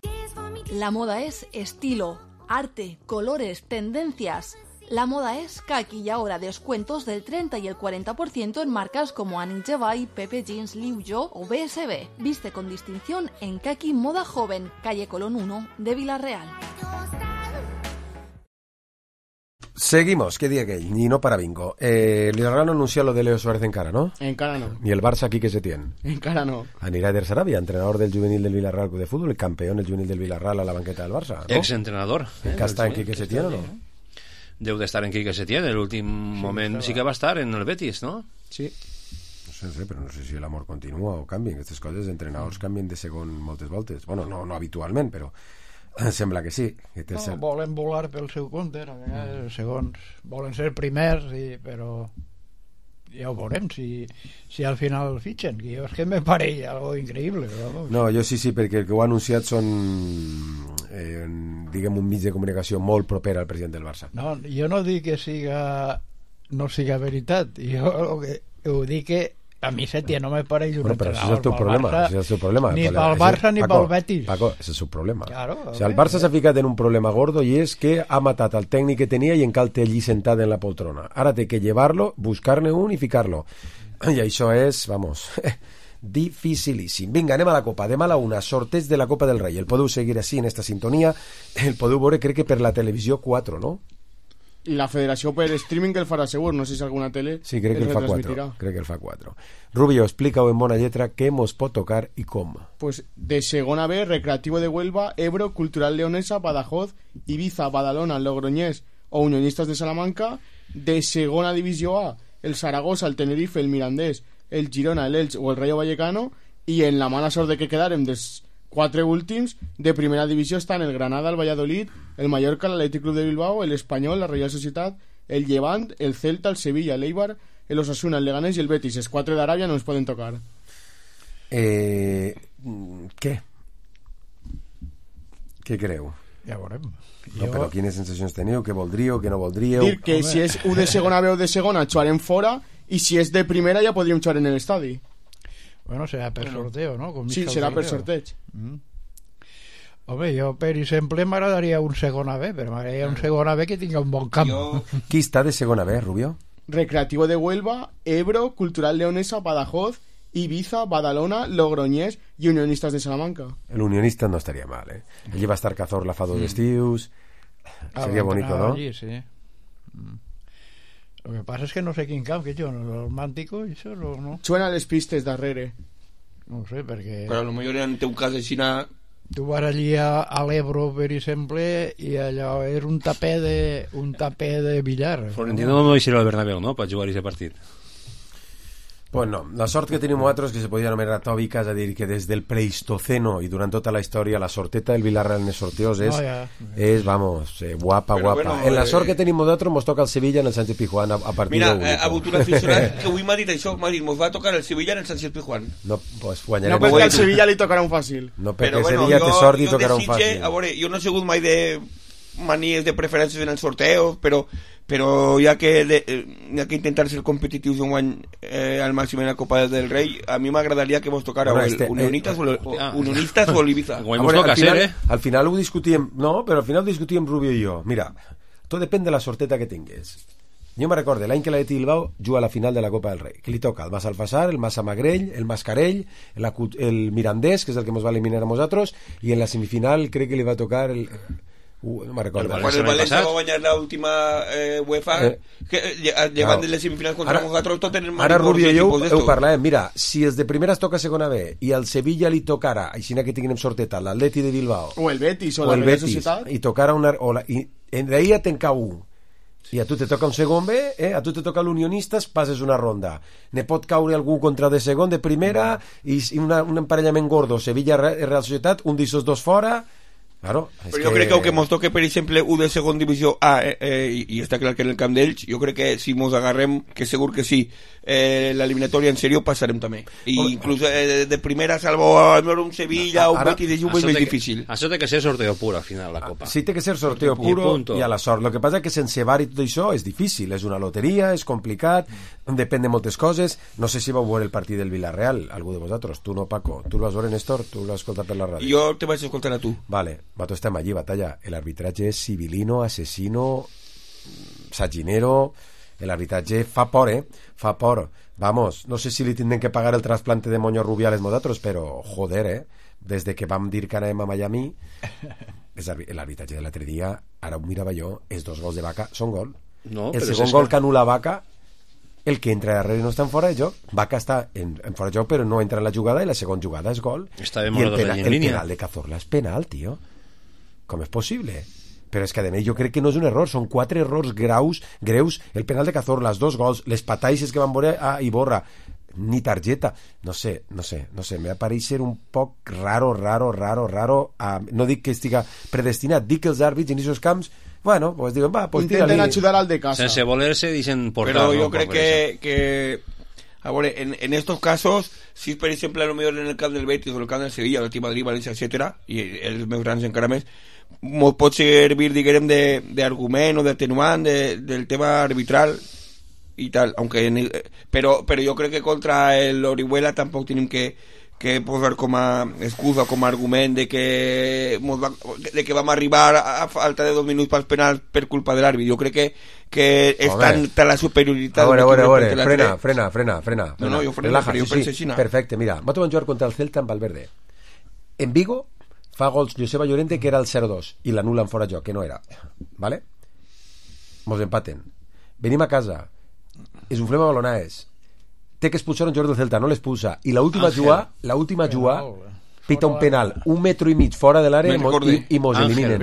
La moda es estilo, arte, colores, tendencias. La moda es Kaki y ahora descuentos del 30 y el 40% en marcas como Annie Jevay, Pepe Jeans, Liu Yo o BSB. Viste con distinción en Kaki Moda Joven, calle Colón 1 de Vila-real. Seguimos, què dia aquell? I no para bingo. L'Israel no anuncia lo de Leo Suárez encara, ¿no? Encara no. Ni el Barça aquí que se tiene. Encara no. Anirà Eder Sarabia, entrenador del juvenil del Villarreal Club de Fútbol, el campeón del juvenil del Villarreal a la banqueta del Barça, ¿no? Exentrenador. Que està en Quique Setién, ¿o no? Deu d'estar en Quique Setién, en l'últim moment sí que va estar en el Betis, no? Sí. No sé, però no sé si l'amor continua o canvien. Aquestes coses, entrenadors canvien de segon moltes voltes. Bueno, no habitualment, però sembla que sí. No, volen volar pel seu compte, a vegades segons. Volen ser primers, però ja ho veurem si al final fitxen, que jo és que me pareix algo increïble. Però... No, jo sí, perquè el que ho ha anunciat són diguem un mig de comunicació molt proper al president del Barça. No, jo no dic que no siga veritat, jo ho dic que a mi Setién no me pareix un entrenador. Però això és el teu problema. Ni pel Barça ni pel Betis. Paco, ese és el problema. Claro, o sea, el Barça s'ha ficat en un problema gordo i és que ha matat el tècnic que tenia i encara el té allí sentat en la poltrona. Ara té que llevar-lo, buscar-ne un i ficar-lo. I això és, vamos, dificilíssim. Vinga, anem a la Copa. Demà a la 1, sorteig de la Copa del Rei. El podeu seguir així en esta sintonia. El podeu veure, crec que per la televisió 4, no? La federació per streaming que el farà segur, no sé si alguna tele sí, crec que el fa 4. Crec que el fa 4. Rubio, explica-ho en bona lletra què mos pot tocar i com. Pues de segona B, Recreativo de Huelva, Ebro, Cultural Leonesa, Badajoz, Ibiza, Badalona, Logroñés o Unionistas de Salamanca. De segona divisió A, el Zaragoza, el Tenerife, el Mirandés, el Girona, el Elche o el Rayo Vallecano. I en la mala sort de que quedarem dels 4 últims, de primera divisió estan el Granada, el Valladolid, el Mallorca, el Athletic Club de Bilbao, el Espanyol, la Real Societat, el Levant, el Celta, el Sevilla, el Eibar, el Osasuna, el Leganés i el Betis. Els 4 d'Aràbia no ens poden tocar. Què? Què creu? Ja veurem. No, però quines sensacions teniu? Què voldríeu? Què no voldríeu? Dir que si és U de segona B o de segona xuarem fora, i si és de primera ja podríem xuar en l'estadi. Bueno, serà per sorteo, no? Com sí, serà per sorteig. Home, jo per exemple m'agradaria un segona B, però m'agradaria un segona B que tingui un bon camp. Qui està de segona B, Rubio? Recreativo de Huelva, Ebro, Cultural Leonesa, Badajoz, Ibiza, Badalona, Logroñés i Unionistas de Salamanca. El Unionista no estaria mal, eh? Allí va estar Cazorla fa 2 estius. Seria bonito, ¿no? Allí, sí. Lo que pasa es que no sé quin camp, que jo, el Màntico, això no... Suena les pistes darrere. No sé, perquè... Però a lo millor en teu cas així... Tu vas allí a l'Ebro, per exemple, i allò és un tapé de billar. Florentino no deixarà el Bernabéu, no?, per jugar aquest partit. Pues no, la sort que tenim nosaltres que se podia anomenar tòbica, és a dir, que des del Pleistoceno i durant tota la història la sorteta del Villarreal en els sorteos és vamos, guapa, però, guapa. Bueno, en la sort que tenim nosaltres mos toca el Sevilla en el Sánchez Pizjuán a partir mira, de... Mira, ha hagut un aficionat que avui m'ha dit això, m'ha dit, mos va tocar el Sevilla en el Sánchez Pizjuán. No, pues guanyarem. No, perquè al Sevilla li tocarà un fàcil. No, perquè el Sevilla té sort i tocarà un fàcil. A veure, jo no he sigut mai de manies de preferències en els sorteos, però hi ha que intentar ser competitius un guany al màxim en la Copa del Rei. A mi m'agradaria que vos tocara Unionistas o el Ibiza. Al final ho discutíem, no, però al final ho discutíem Rubio i jo. Mira, tot depèn de la sorteta que tingués. Jo me recordo l'any que l'Atleti Bilbao juga a la final de la Copa del Rei, que li toca el Massalfassar, el Massamagrell, el Mascarell, el Mirandés, que és el que ens va eliminar a nosaltres, i en la semifinal crec que li va tocar el... no me'n recordo. Quan el València va guanyar l'última UEFA, llevant de les semifinals contra nosaltres, tot en el ara Rubio i jo ho parlàvem. Mira, si els de primera es toca segona B i al Sevilla li tocara, així que tinguem sorteta, l'Atleti de Bilbao o el Betis o la Real Societat, i tocara una... i d'ahí ja te'n cau un i a tu te toca un segon B, a tu te toca l'Unionistas, passes una ronda. Ne pot caure algú contra de segon, de primera, i un emparellament gordo, Sevilla-Real Societat, un d'essos dos fora. Claro, però jo crec que aunque mos toque per exemple un de segon divisió A i està clar que en el camp d'ells, jo crec que si mos agarrem, que segur que sí, l'eliminatòria en sèrio passarem també, i inclús de primera salvo un Sevilla o un Betis de Juve és més difícil. Això té que ser sorteo puro al final la Copa. Sí, té que ser sorteo puro i a la sort. Lo que passa és que sense VAR i tot això és difícil, és una loteria, és complicat, depèn de moltes coses. No sé si vau veure el partit del Villarreal, algú de vosaltres, tu no, Paco, tu el vas veure, Néstor, tu l'has escoltat per la ràdio. Jo te vaig escoltar a tu. Vale, nosaltres estem allí, batalla. El arbitratge és civilino, asesino, saginero. El arbitratge fa por, fa por. Vamos, no sé si li tindrem que pagar el trasplante de moño Rubiales nosaltres, però joder, des de que vam dir que anàvem a Miami, l'arbitratge de l'altre dia, ara ho mirava jo, els 2 gols de Vaca són gol. No, el segon gol que anul·la Vaca, el que entra darrere no està en fora de joc. Vaca està en fora de joc, però no entra en la jugada, i la segona jugada és gol. I el penal de Cazorla és penal, tio. Com és possible? Però és que a més jo crec que no és un error, són 4 errors greus, el penal de Cazorla, els 2 gols, les pataixes que van veure a Iborra, ni targeta, no sé, me va ser un poc raro, no dic que estiga predestinat, dic que els àrbits en aquests camps, bueno, pues diuen, va, pues intenten ajudar al de casa. Sense voler-se dicen portar. Però jo crec que a veure, en estos casos, si per exemple a lo mejor en el camp del Betis o el camp del Sevilla, el Team Madrid, València, etcétera, i els més grans encara més, pot servir, diguem, d'argument o d'atenuant del tema arbitral i tal, aunque però jo crec que contra el Orihuela tampoc tenim que posar com a excusa, com a argument de que vam arribar a falta de 2 minuts pels penals per culpa de l'àrbit. Jo crec que és tanta la superioritat. A veure, frena. No, jo freno, però jo penso així. Perfecte, mira, va trobar jugar contra el Celta amb Valverde. En Vigo fa gols Joseba Llorente, que era el 0-2, i l'anulen fora joc, que no era. ¿Vale? Mos empaten. Venim a casa, esuflem a balonaes, té que expulsar un jugador del Celta, no l'expulsa, i l'última jugada pita un penal 1,5 metres fora de l'àrea i mos eliminen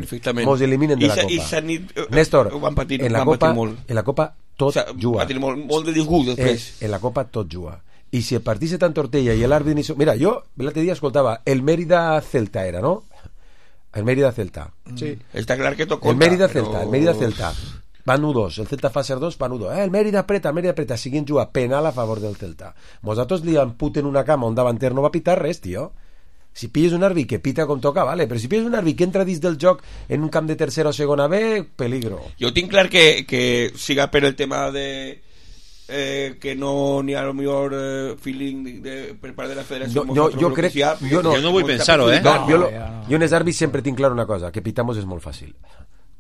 de la Copa. Néstor, en la Copa tot juga. Molt de disgust després. En la Copa tot juga. I si el partit se t'entortella i l'àrbit... Mira, jo l'altre dia escoltava el Mérida-Celta era, no? El Mérida-Celta. Sí. Està clar que tot compta. El Mérida-Celta. Van 1-2, el Celta fa ser 2, van 1-2. El Mérida apreta, siguin jugar penal a favor del Celta. Nosaltres li amputen una cama on davanter no va pitar res, tio. Si pilles un àrbit que pita com toca, vale, però si pilles un àrbit que entra dins del joc en un camp de tercera o segona B, peligro. Jo tinc clar que siga per el tema de que no n'hi ha el millor feeling per part de la federació. Jo crec... Jo no vull pensar-ho, Jo en els àrbits sempre tinc clar una cosa, que pitamos és molt fàcil.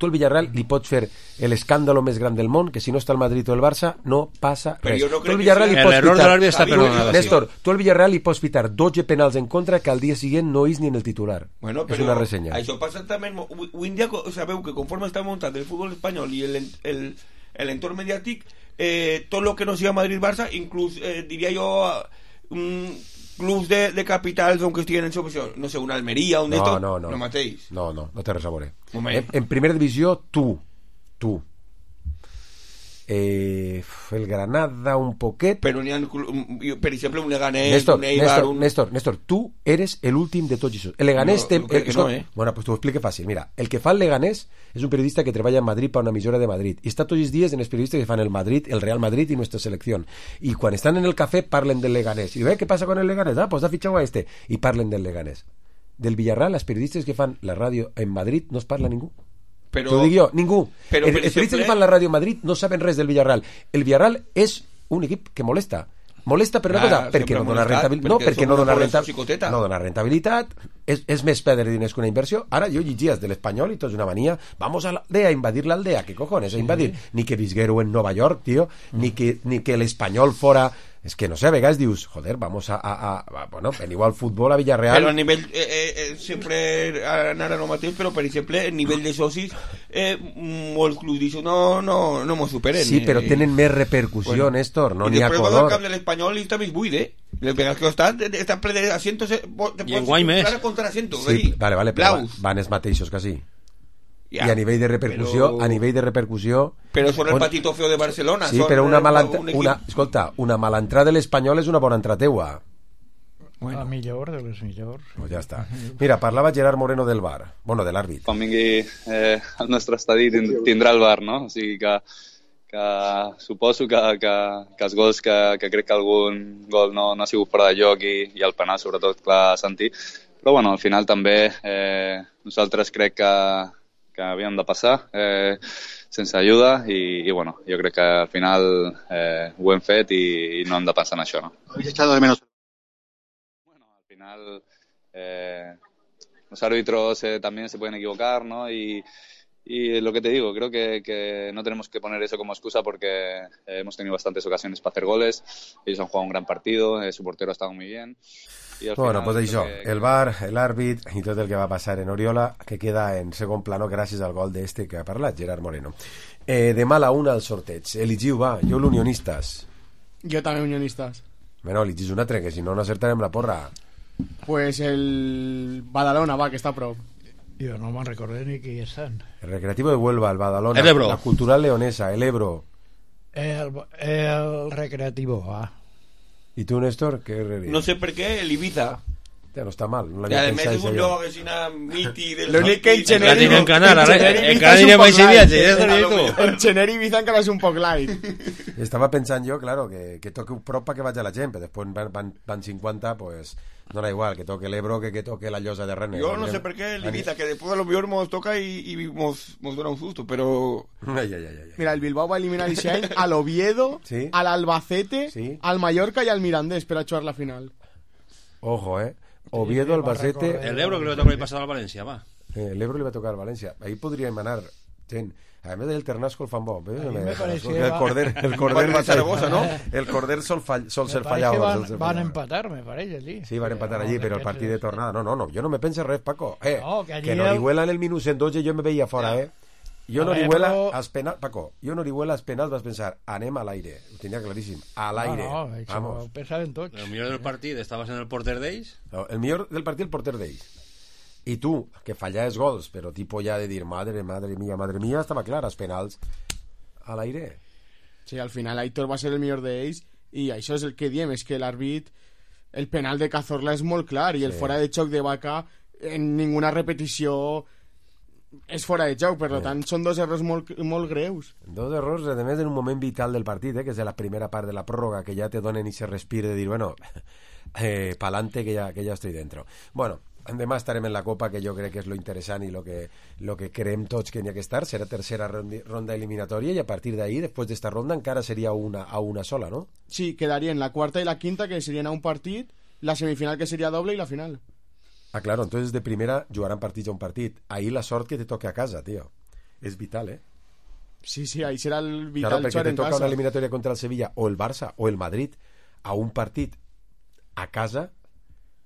Tu al Villarreal li pots fer l'escàndalo més gran del món, que si no està el Madrid o el Barça no passa res. No, tu al Villarreal li pots l'error de l'àrbit està perdonat. Néstor, tu al Villarreal li pots pitar 12 penals en contra que al dia següent no és ni en el titular. Bueno, és una ressenya. Això passa també. Avui en dia sabeu que conforme està muntat el futbol espanyol i l'entorn mediàtic, tot el que no sigui Madrid-Barça, inclús diria jo clubs de capitals on que estiguen en subvenció, no sé, una Almeria, un d'esto, no mateix. No té res a veure. En primera divisió, tu el Granada un poquet, però n'hi ha, per exemple, un Leganés, un Eibar, Néstor, tu eres l'últim de tots això. El Leganés bueno, pues t'ho explico fàcil. Mira, el que fa el Leganés és un periodista que treballa en Madrid per una emissora de Madrid i està tots els dies en els periodistes que fan el Madrid, el Real Madrid i nuestra selección, i quan estan en el cafè parlen del Leganés i què passa con el Leganés? Pues ha fichado a este, i parlen del Leganés. Del Villarreal, els periodistes que fan la ràdio en Madrid no es parla ningú. T'ho dic jo, ningú. Els periodistes que fan la ràdio a Madrid no saben res del Villarreal. El Villarreal és un equip que molesta per una cosa, perquè no dona rentabilitat, no dona rentabilitat, és més perdre diners que una inversió. Ara jo llegies de l'Espanyol i tot és una mania, vamos a l'aldea, a invadir l'aldea, ¿qué cojones? A invadir, ni que visguero en Nova York, tío, ni que l'Espanyol fora... És que no sé, a vegades dius, joder, vamos bueno, veniu al futbol a Villarreal. Però a nivell, sempre anar a no mateix, però per exemple, a nivell de socis, molts clubs diuen, no m'ho superen. Sí, però tenen més repercussió, Néstor, no n'hi ha color. I després el camp de l'Espanyol i està més buit, Les vegades que estan ple de asientos, i en guany més. Sí, vale, però van els mateixos quasi. I a nivell de repercussió però són el patito feo de Barcelona. Sí, però una mala entrada de l'Espanyol és una bona entrada teua. La millor de les millors. Pues ja està. Mira, parlava Gerard Moreno del VAR, bueno, de l'àrbit. Quan vingui el nostre estadi tindrà el VAR, no? O sigui que suposo que els gols que crec que algun gol no ha sigut fora de joc i el penal sobretot, clar, sentir. Però bueno, al final també nosaltres crec que havíem de passar sense ajuda i bueno, jo crec que al final ho hem fet i no hem de pensar en això, ¿no? ¿Habéis echado de menos? Bueno, al final los árbitros también se pueden equivocar, ¿no? Y lo que te digo, creo que no tenemos que poner eso como excusa porque hemos tenido bastantes ocasiones para hacer goles, ellos han jugado un gran partido, su portero ha estado muy bien. Bueno, pues això, el VAR, l'àrbit i tot el que va passar en Oriola, que queda en segon plano gràcies al gol d'este que ha parlat, Gerard Moreno. Demà a la 1 al sorteig. Eligiu, va, jo l'Unionistes. Jo també Unionistes. Bueno, eligis un altre, que si no acertarem la porra. Pues el Badalona, va, que està a prop. Jo no me'n recordo ni qui estan. El Recreativo de Huelva, el Badalona, la Cultural Leonesa, el Ebro. El Recreativo, va. ¿Y tú, Néstor? No sé per què, el Ibiza. Ja no està mal. No I a més és un lloc que s'ina miti del... L'únic que en Xener Ibiza encara és un poc light. Estava pensant jo, claro, que toque un prop que vaig a la gent, però després van 50, pues no era igual, que toque l'Ebro que toque la Llosa de Rennes. Jo no sé per què l'Ibiza, que després a lo millor mos toca i mos dona un susto, però... Mira, el Bilbao va eliminar aquest any a l'Oviedo, a l'Albacete, al Mallorca i al Mirandés per a jugar la final. Ojo, Oviedo, Albacete... El Ebro que le va a tocar el pasado al Valencia, va. El Ebro le va a tocar al Valencia. Ahí podría emanar... A més del Ternasco el fan bo. El Corder va Zaragoza, ¿no? El Corder sol ser fallado. Van a empatar, me parece, sí. Sí, van a empatar allí, pero el partido de tornada. No, yo no me pensé res, Paco. Que no Orihuela en el minut en 12 yo me veía fora, Jo no Orihuela als penals, Paco, jo no Orihuela als penals vas pensar, anem a l'aire, ho tenia claríssim, a l'aire. Vamos. Ho pensaven tots. El millor del partit estaves en el porter d'ells? No, el millor del partit el porter d'ells. I tu, que fallaves gols, però tipo ja de dir, madre mía, estava clar, els penals a l'aire. Sí, al final Aitor va ser el millor d'ells i això és el que diem, és que l'àrbit, el penal de Cazorla és molt clar i el fora de xoc de Vaca en ninguna repetició és fora de joc, per tant són dos errors molt greus. Dos errors, a més, en un moment vital del partit, que és de la primera part de la pròrroga, que ja te donen i se respire de dir, bueno, pa'lante que ya estoy dentro. Bueno, demà estarem en la Copa, que jo crec que és lo interessant i lo que creem tots que n'hi ha que estar. Serà tercera ronda eliminatòria i a partir d'ahí, després d'esta ronda, encara seria a una sola, ¿no? Sí, quedarien la quarta i la quinta, que serien a un partit, la semifinal que seria doble i la final. Ah, claro, entonces de primera jugaran partits a un partit. Ahí la sort que te toque a casa, tío. És vital, Sí, ahí serà el vital. Claro, perquè te toca una eliminatòria contra el Sevilla o el Barça o el Madrid a un partit a casa,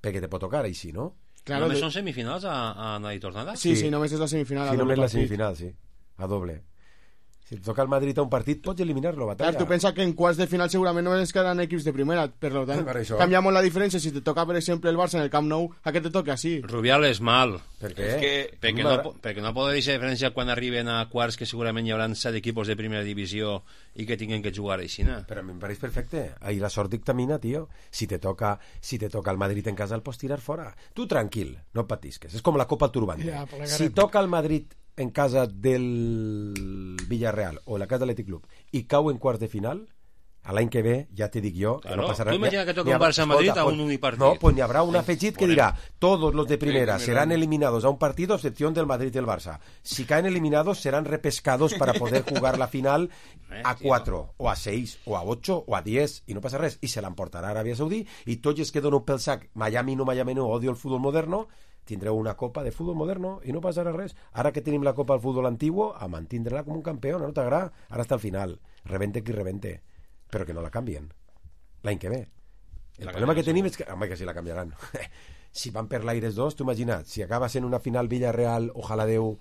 perquè te pot tocar així, no? Claro, només són semifinals a anada i tornada? Sí, només és la semifinal. Sí, només la semifinal, sí. A doble. Si et toca el Madrid a un partit, pots eliminar-lo, batalla. Clar, tu pensa que en quarts de final segurament només quedaran equips de primera, per tant, canvia molt la diferència. Si te toca, per exemple, el Barça en el Camp Nou, a què te toca així? Rubial és mal. Per què? Perquè no pot dir diferència quan arriben a quarts, que segurament hi haurà 7 equipos de primera divisió i que tinguin que jugar així, no? Però a mi em pareix perfecte. Ahí la sort dictamina, tío. Si te toca el Madrid en casa, el pots tirar fora. Tu tranquil, no patisques. És com la Copa Turbante. Si toca el Madrid en casa del Villarreal o en la casa de l'Athletic Club i cau en quarts de final, a l'any que ve ja te dic jo que no passarà. Tu imagina que toca un Barça-Madrid a un únic partit. No, pues n'hi haurà un afegit que dirà todos los de primera serán eliminados a un partido a excepción del Madrid y el Barça. Si caen eliminados serán repescados para poder jugar la final a 4 o a 6 o a 8 o a 10 i no passa res, i se l'emportarà a Aràbia Saudí i tots els que donen pel sac Miami no, odio el futbol moderno, tindreu una copa de futbol moderno i no passarà res. Ara que tenim la copa del futbol antiguo, a mantindre-la com un campió, no t'agrada? Ara està al final, rebente qui rebente, però que no la canvien l'any que ve. El problema que tenim és que, home, que si la canviaran si van per l'Aires 2, tu imagina't, si acaba sent una final Villarreal, ojalà Déu,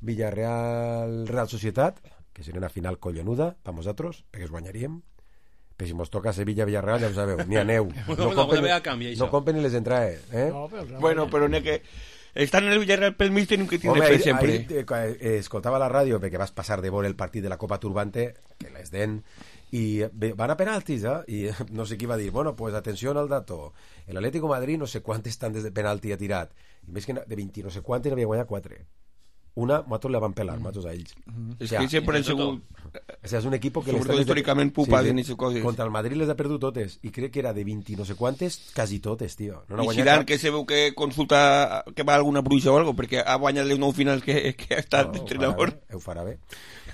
Villarreal Real Societat, que seria una final collonuda per nosaltres, perquè es guanyaríem. Però si mos toca Sevilla-Villarreal, ja ho sabeu, ni aneu. No compren ni les entrades. Bueno, però n'hi ha que... Estan en el Villarreal pel mig, tenim que tindre fe sempre. Escoltava la ràdio, perquè vas passar de veure el partit de la Copa Turbante, que les den, i van a penaltis, i no sé qui va dir, bueno, pues atenció al dato, el Atlético Madrid no sé quantes tantes de penalti ha tirat, i més que de 20 no sé quantes n'havia guanyat 4. Una, nosaltres la van pelar, nosaltres a ells. És que sempre el segon... O sea, és un equip que... Sobretot històricament pupaden i coses. Contra el Madrid les ha perdut totes, i crec que era de 20 no sé quantes, quasi totes, tio. I Zidane, que se veu que consulta que va alguna bruixa o algo, perquè ha guanyat les 9 finals que ha estat d'entrenador. Ho farà bé.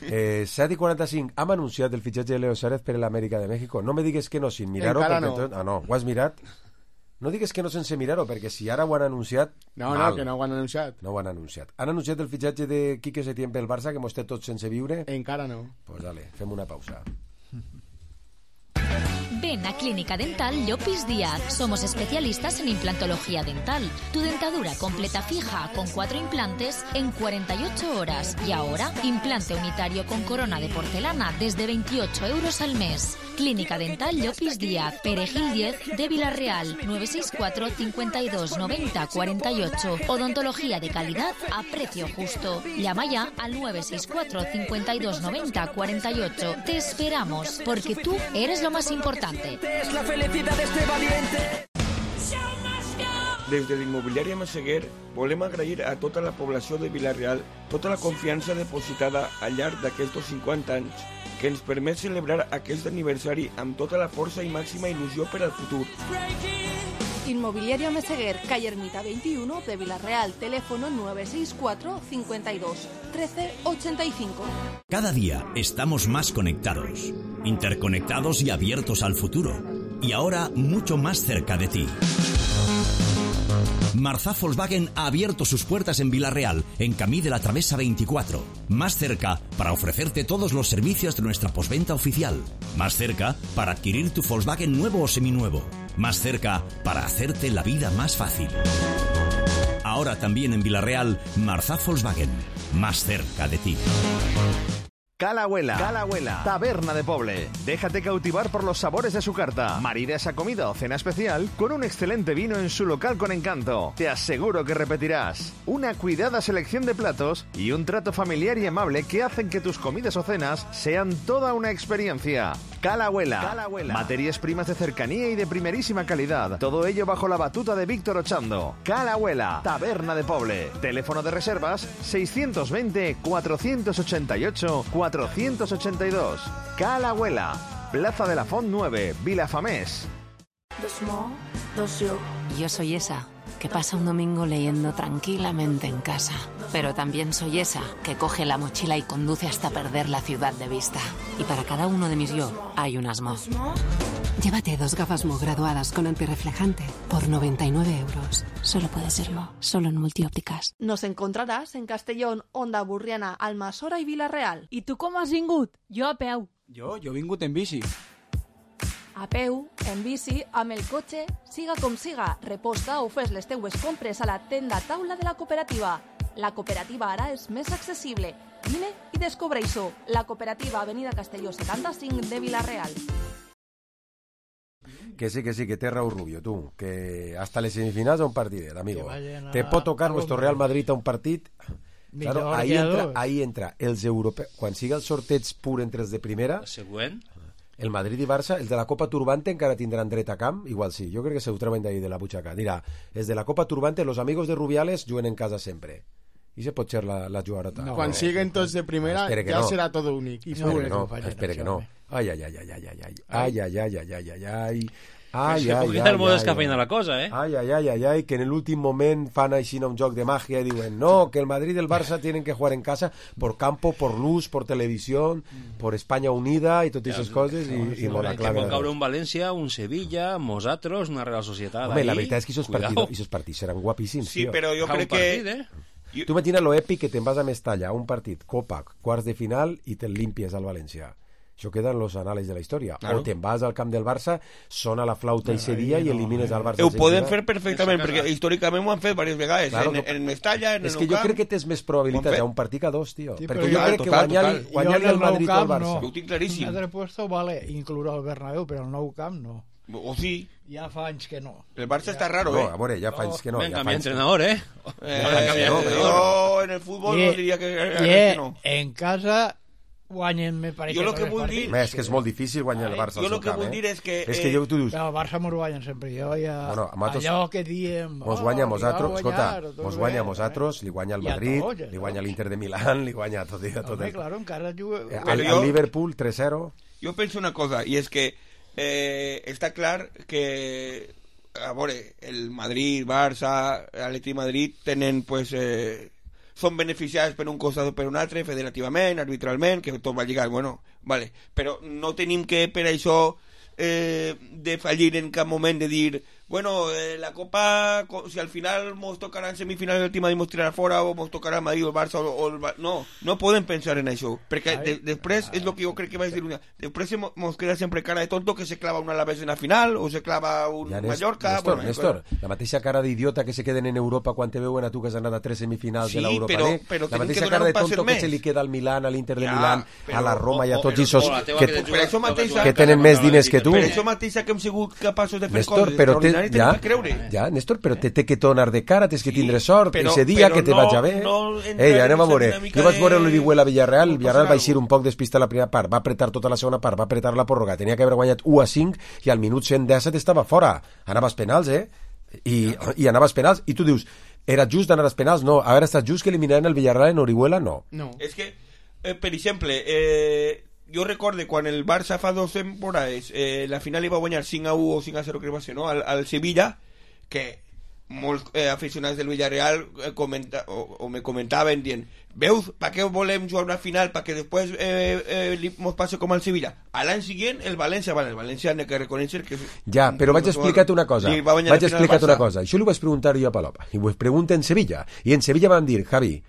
7:45, hem anunciat el fitxatge de Leo Suárez per l'Amèrica de México. No me digues que no, sin mirar-ho. Encara no. No, ho has mirat? No digues que no sense mirar-ho, perquè si ara ho han anunciat... No, que no ho han anunciat. No ho han anunciat. Han anunciat el fitxatge de Quique Setién pel Barça, que mos té tots sense viure? Encara no. Pues dale, fem una pausa. Ven a Clínica Dental Llopis Díaz. Somos especialistas en implantología dental. Tu dentadura completa fija con 4 implantes en 48 horas. Y ahora, implante unitario con corona de porcelana desde 28 euros al mes. Clínica Dental Llopis Díaz, Perejil 10 de Villarreal, 964 52 90 48. Odontología de calidad a precio justo. Llama ya al 964 52 90 48. Te esperamos, porque tú eres lo más importante. Es la felicidad de este valiente. Des de l'immobiliària Massaguer volem agrair a tota la població de Vila-real tota la confiança depositada al llarg d'aquests 50 anys que ens permet celebrar aquest aniversari amb tota la força i màxima il·lusió per al futur. Inmobiliaria Meseguer, calle Ermita 21 de Vila-real, teléfono 964 52 13 85. Cada día estamos más conectados, interconectados y abiertos al futuro. Y ahora mucho más cerca de ti. Marzá Volkswagen ha abierto sus puertas en Villarreal, en Camí de la Travesa 24. Más cerca para ofrecerte todos los servicios de nuestra postventa oficial. Más cerca para adquirir tu Volkswagen nuevo o seminuevo. Más cerca para hacerte la vida más fácil. Ahora también en Villarreal, Marzá Volkswagen. Más cerca de ti. Calahuela, taberna de Poble. Déjate cautivar por los sabores de su carta. Marida esa comida o cena especial con un excelente vino en su local con encanto. Te aseguro que repetirás. Una cuidada selección de platos y un trato familiar y amable que hacen que tus comidas o cenas sean toda una experiencia. Calahuela. Materias primas de cercanía y de primerísima calidad. Todo ello bajo la batuta de Víctor Ochando. Calahuela, taberna de Poble. Teléfono de reservas 620 488 482. Calahuela, Plaza de la Font 9, Vilafamés. Yo soy esa que pasa un domingo leyendo tranquilamente en casa. Pero también soy esa que coge la mochila y conduce hasta perder la ciudad de vista. Y para cada uno de mis yo hay un Asmo. Llévate 2 gafas Mo graduadas con antirreflejante por 99 euros. Solo puede ser Mo, solo en Multiópticas. Nos encontrarás en Castellón, Onda Burriana, Almassora i Vila-real. I tu com has vingut? Jo a peu. Jo he vingut en bici. A peu, en bici, amb el cotxe, siga com siga, reposta o fes les teues compres a la tenda taula de la cooperativa. La cooperativa ara és més accessible. Vine i descobreix-ho. La cooperativa Avenida Castelló 75 de Vila-real. Que sí, que té raó Rubio, tú. Que hasta les semifinals a un partidet, amigo. Te pot tocar nuestro Real Madrid a un partit. Claro, ahí entra els europeus. Quan siga el sorteig pur entre els de primera... Següent. El Madrid i Barça, els de la Copa Turbante encara tindran dret a camp, igual sí, jo crec que se ho treuen d'ahí de la butxaca. Dirà, els de la Copa Turbante, los amigos de Rubiales juguen en casa sempre. I se pot ser la jugarota. No, quan siguen tots de primera ja serà tot únic. Espera que no. Ai. Se pot quitar el modo descafeïna la cosa, eh? Ay, que en el últim moment fan així un joc de magia y diuen, no, que el Madrid y el Barça tienen que jugar en casa por campo, por luz, por televisión, por España unida y totes esas coses i molt la clave. Que pot caure un València, un Sevilla, nosaltres, una Real Societat. Home, la veritat és que esos partits seran guapíssims, sí, tío. però jo crec que... Tu imagina lo èpic que te'n vas a Mestalla, un partit, Copa, quarts de final i te'l limpies al València. Això queda en los anales de la història. Claro. O te'n vas al camp del Barça, sona la flauta ese dia i elimines al Barça. Ho poden fer perfectament, perquè històricament ho han fet diverses vegades. Claro, en Mestalla, en el Nou Camp... És que jo crec que tens més probabilitat a un partit que a dos, tio. Sí, perquè jo crec que guanyar-li el Madrid al Barça. Ho tinc claríssim. Un altre puesto vale incloure el Bernabéu, però el Nou Camp no. O sí. Ja fa anys que no. El Barça està raro, No, a veure, ja fa anys que no. Ben, canvia entrenador, eh? Jo en el futbol no diria que no. En casa... guanyen, me pareix. Jo el que vull dir... És que és molt difícil guanyar el Barça al seu camp, Jo el que vull dir és que... És que tu dius... El Barça m'ho guanyen sempre. Jo ja... Bueno, allò que diem... Mos guanya a nosaltres, escolta, mos guanya a nosaltres, li guanya al Madrid, li guanya a l'Inter de Milán, li guanya a tot. Home, claro, encara juga... Al Liverpool, 3-0. Jo penso una cosa, i és que està clar que... A veure, el Madrid, Barça, l'Atlètic Madrid tenen, pues... són beneficiats per un costat o per un altre, federativament, arbitralment, que tot va lligat, bueno, vale. Però no tenim que per això de fallir en cap moment de dir, bueno, la Copa, si al final mos tocarà en semifinal el Madrid mos tirarà fora o mos tocarà el Madrid o el Barça o el no, no podem pensar en això, perquè després és el que jo crec que vaig dir després mos queda sempre cara de tonto que se clava un Alavés en la final o se clava un Mallorca. Néstor, la mateixa cara d'idiota que se queden en Europa quan te veuen a tu que has anat a 3 semifinals de l'Europa League, la mateixa cara de tonto que se li queda al Milán, a l'Inter de Milán, a la Roma i a tots esos que tenen més diners que tu. Per això mateixa que hem sigut capaços de fer Néstor, coses extraordinàries tenim que creure. Ja, Néstor, però te té que tornar de cara, tens que tindre sort, ese dia que te vaig a ver. Anem a veure. Jo vaig veure l'Orihuela Villarreal, Villarreal va eixir un poc despista a la primera part, va apretar tota la segona part, va apretar la pròrroga, tenia que haver guanyat 1-5 i al minut 117 estava fora. Anava als penals, I anava als penals, i tu dius, era just d'anar als penals? No, haver estat just que eliminaran el Villarreal en Orihuela? No. És que, per exemple, jo recorde quan el Barça fa 2 temporades la final li va guanyar 5-1 o 5-0 crec que va ser, no? Al Sevilla, que molts aficionats del Villarreal me comentaven dient, veus, per què volem jugar una final? Perquè després mos passa com al Sevilla. A l'any següent el València ha de reconèixer que... Ja, però vaig explicar-te una cosa. Això li vaig preguntar jo a Palop, i ho pregunto en Sevilla, i en Sevilla van dir, Javi,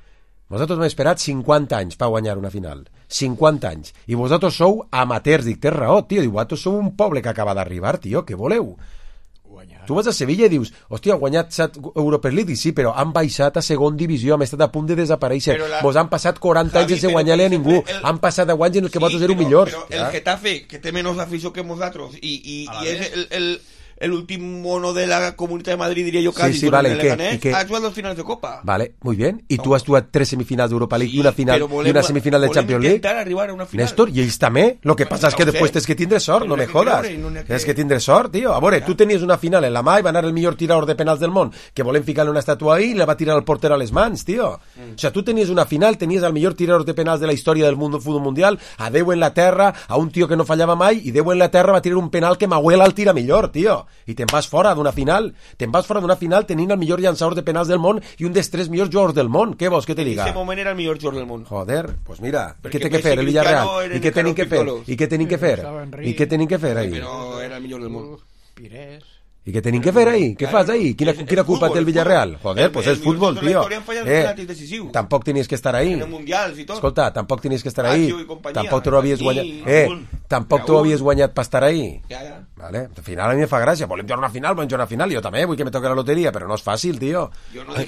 vosaltres m'heu esperat 50 anys per guanyar una final. 50 anys. I vosaltres sou amateurs. Dic, tens raó, tio. Diu, vosaltres sou un poble que acaba d'arribar, tio. Què voleu? Tu vas a Sevilla i dius, hòstia, ha guanyat 7 Europa League, sí, però han baixat a segon divisió, han estat a punt de desaparèixer. Vos han passat 40 anys sense guanyar-li a ningú. Han passat 10 anys en el que vosaltres éreu millors. Però el Getafe, que té menys afició que nosaltres, i és l'últim mono de la Comunitat de Madrid, diria jo, casi, vale, ha jugat 2 finals de Copa. Vale, muy bien. Y tú has jugado 3 semifinals d'Europa League y una final y una semifinal de Champions League. Arribar a una final. Néstor, i ells també. Lo que passa és que després tens que tindre sort, no me jodas. Tens que tindre sort, tio. A veure, tu tenies una final en la mà i va anar el millor tirador de penals del món, que volem ficar-li una estàtua ahí i la va tirar el porter a les mans, tio. O sea, tu tenies una final, tenies el millor tirador de penals de la història del futbol mundial, a 10 en la terra, a un tio que no fallava mai, i 10 en la terra va tirar un penal que Mahuela el tira millor, tio. I te'n vas fora d'una final. Te'n vas fora d'una final tenint el millor llançador de penals del món i un dels 3 millors jugadors del món. Què vols que te diga? En aquest moment era el millor jugador del món. Joder, pues mira, què té que fer el Villarreal? I què tenim que fer? I què tenim que fer? I què tenim que fer ahí? Però era el millor del món. Pires. ¿Y qué tienen que hacer ahí? ¿Qué fas ahí? ¿Quina culpa té el Villarreal? Joder, pues es fútbol, tío. Tampoc tenies que estar ahí. Escolta, tampoc tenies que estar ahí. Tampoc tu no havies guanyat. Tampoc tu havies guanyat per estar ahí. Vale, al final a mi me fa gràcia. Volem jugar una final, jo també vull que me toque la loteria, però no és fàcil, tio.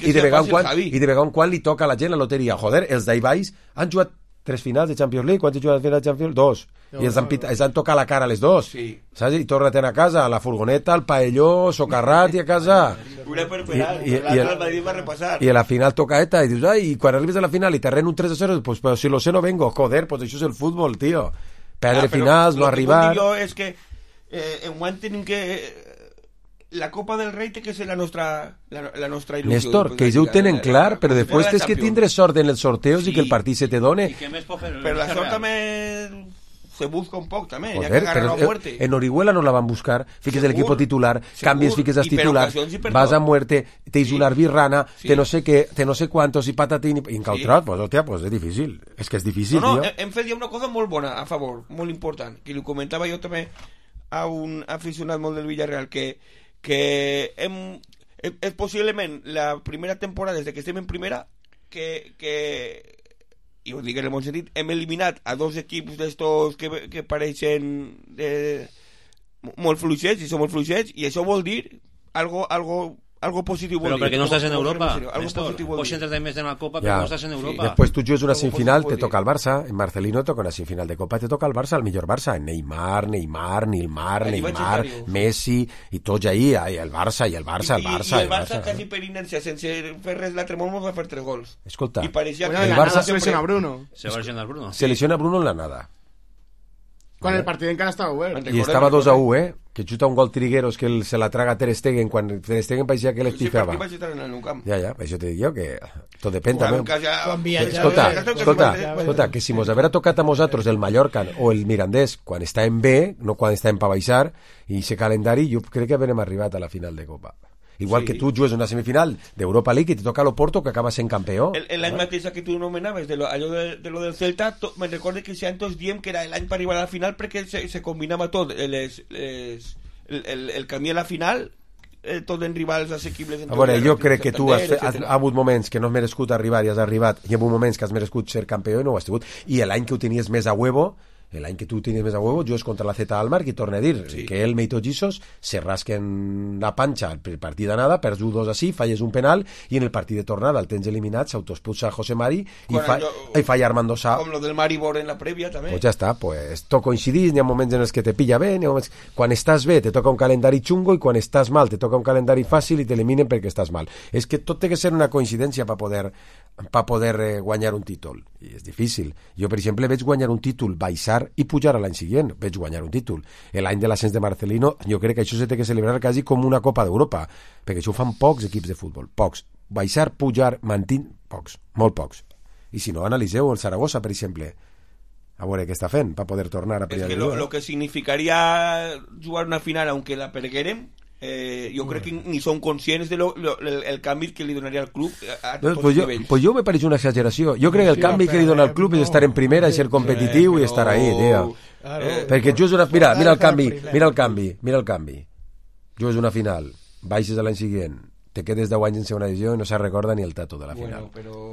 I de vegada en quan li toca a la gent la loteria. Joder, els d'ahí baix han jugat 3 finals de Champions League. Quants han jugat de Champions? 2. I els han tocat la cara a les 2. Sí. Saps? I torna-te'n a casa, a la furgoneta, al paelló, socarrat i a casa. Una per penal, l'altre el Madrid va repassar. I a la final toca ETA i dius, ai, i quan arribes a la final i te ren un 3-0, pues pero si lo sé no vengo. Joder, pues això és el futbol, tío. Perdre finals, no arribar... Lo que és que en guany tenim que... La Copa del Rei té que ser la nostra il·lusió. Néstor, que ells ho tenen clar, però després tens que tindre sort en els sorteos i que el partit se te done. Però la sort també se busca un poc, també. Joder, però en Orihuela no la van buscar. Fiques l'equip titular, canvies, fiques els titulars, vas a muerte, tens una arbirrana, te no sé què, te no sé quantos, i patatín, i en Cautrat, pues, hòstia, pues és difícil. És que és difícil, no, tio. Hem fet ja una cosa molt bona a favor, molt important, que li comentava jo també a un aficionat molt del Villarreal, que és possiblement la primera temporada des que estem en primera que i ho dic en el bon sentit, hem eliminat a 2 equips d'estos que pareixen molt fluixets, i són molt fluixets, i això vol dir algo positiu. Però perquè no estàs en Europa, Néstor. Pots entrar més en la Copa, però no estàs en Europa. Després tu jugues una semifinal, te toca el Barça. En Marcelino toca una semifinal de Copa, te toca el Barça, el millor Barça. Neymar, Messi, i tots ahí, el Barça. I el Barça quasi per inèrcia, sense fer res l'altre món, va fer 3 gols. Escolta, i pareixia que el Barça se lesiona Bruno. Se lesiona Bruno en la nada. Quan el partit encara estava obert. I estava 2-1, que xuta un gol Trigueros que se la traga Ter Stegen quan Ter Stegen parecía que l'espifava. Ja, això te dic jo, que tot depèn també. Escolta, que si mos haver tocat a nosaltres el Mallorca o el Mirandés quan està en B, no quan està en pa baixar, i ese calendari, jo crec que haurem arribat a la final de Copa. Igual que tu jugues una semifinal d'Europa League i te toca l'Oporto, que acaba sent campió. L'any mateix que tu nomenaves allò de lo del Celta, me'n recordo que si antes diem que era l'any per arribar a la final perquè se combinava tot el camí a la final, tot en rivals assequibles. A veure, jo crec que tu has hagut moments que no has merescut arribar i has arribat, i ha hagut moments que has merescut ser campió i no ho has tingut, i l'any que ho tenies més a huevo, l'any que tu tenies més a huevo, jugues contra la Z Almar, i torna a dir que el Meito Gisos se rasquen la panxa el partit d'anada, perds 2 així, falles un penal, i en el partit de tornada el tens eliminat, s'autoexpulsa José Mari i falla Armando Sá. Com lo del Maribor en la prèvia també. Pues ja està, pues tot coincidís, n'hi ha moments en els que te pilla bé, quan estàs bé te toca un calendari xungo i quan estàs mal te toca un calendari fàcil i t'eliminen perquè estàs mal. És que tot té que ser una coincidència per poder guanyar un títol, i és difícil. Jo, per exemple, veig guanyar un títol, baixar i pujar a l'any següent, veig guanyar un títol. L'any de l'ascens de Marcelino, jo crec que això se té que celebrar quasi com una Copa d'Europa, perquè això ho fan pocs equips de futbol, pocs. Baixar, pujar, pocs, molt pocs. I si no, analiseu el Saragossa, per exemple, a veure què està fent per poder tornar a pelear. És que lo que significaria jugar una final, aunque la perguérem, jo crec que ni són conscients del canvi que li donaria al club a tots pues els nivells. Pues jo me pareix una exageració. Jo crec que el canvi que li dona al club és estar en primera i ser competitiu i estar ahí, tio. Perquè jo és una... Mira el canvi. Jo és una final, baixes a l'any següent, te quedes 10 anys en segona divisió i no se recorda ni el tato de la final.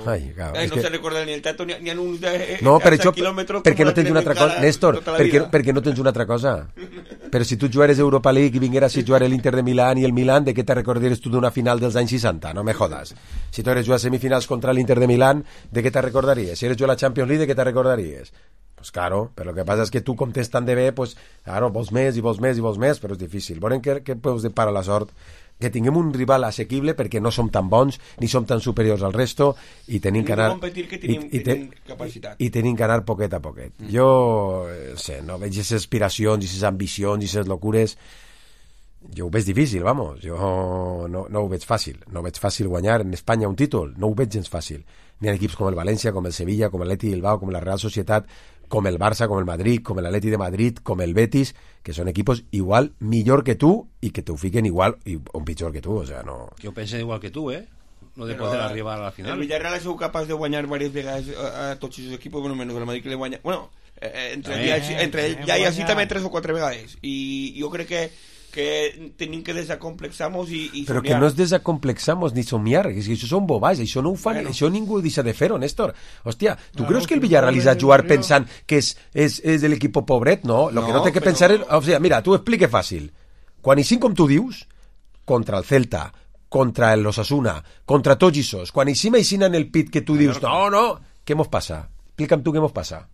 Ai, clar, no se recorda ni el tato ni ha uns per això, perquè no tens una altra cosa, Néstor, perquè no tens una altra cosa. Però si tu jugares Europa League i vingueras a jugar l'Inter de Milán i el Milán, de què te recordaries tu d'una final dels anys 60? No me jodas. Si tu eres jugar semifinals contra l'Inter de Milán, de què te recordaries? Si eres jugar a la Champions League, de què te recordaries? Pues claro, però el que passa és que tu com t'és tan de bé, pues claro, vols més, però és difícil. Veurem què us depara la sort, que tinguem un rival assequible perquè no som tan bons ni som tan superiors al resto i tenim que anar i tenim que anar poquet a poquet. Jo no veig aquestes aspiracions i aquestes ambicions i aquestes locures, jo ho veig difícil, vamos, jo no ho veig fàcil, no veig fàcil guanyar en Espanya un títol, no ho veig gens fàcil, ni en equips com el València, com el Sevilla, com l'Atleti Bilbao, com la Real Societat, com el Barça, com el Madrid, com l'Atleti de Madrid, com el Betis, que són equipos igual millor que tu i que t'ho fiquen igual o pitjor que tu, o sea, no... Jo penso igual que tu, no de poder arribar a la final. El Villarreal ha sigut capaç de guanyar diverses vegades a tots els equipos, bueno, menys el Madrid que le guanya... Bueno, entre ell ja i així també 3 o 4 vegades, i jo crec que tenim que desacomplexar-nos i però que no es desacomplexamos ni somiar, és que això són bobats, això no ho fan, això ningú deixa de fer-ho, Néstor. Hòstia, tu creus que el Villarreal ha jugar pensant que és de l'equip pobret? No, lo que no té que pensar és... O sigui, mira, t'ho explique fàcil. Quan hi com tu dius, contra el Celta, contra el Osasuna, contra tots aquests, quan hi en el pit que tu dius, no, què mos passa? Explica'm tu què mos passa.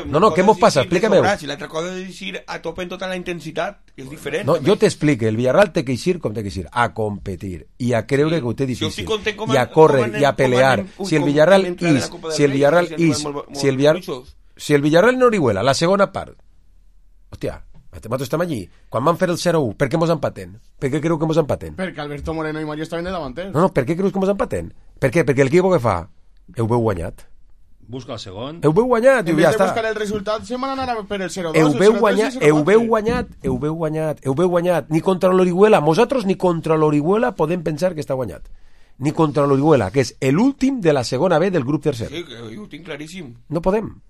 No, què mos passa? Explica-m'ho. Si l'altra cosa és ir a tope en tota la intensitat, que és diferent. No, jo t'explique, el Villarreal té que ir com té que ir, a competir i a creure que ho té difícil, i a córrer i a pelear. Si el Villarreal en Orihuela, la segona part, hòstia, nosaltres estem allí, quan van fer el 0-1, per què mos empaten? Per què creu que mos empaten? Perquè Alberto Moreno i Mario estaven de davanters. No, per què creus que mos empaten? Per què? Perquè l'equip que fa, heu veu guanyat. Busca el segon. Heu veu guanyat, i ja està. En vez de buscar el resultat, se van anar per el 0-2. Heu veu guanyat. Ni contra l'Orihuela. Nosaltres ni contra l'Orihuela podem pensar que està guanyat. Ni contra l'Orihuela, que és l'últim de la segona B del grup tercer. Sí, que ho tinc claríssim. No podem.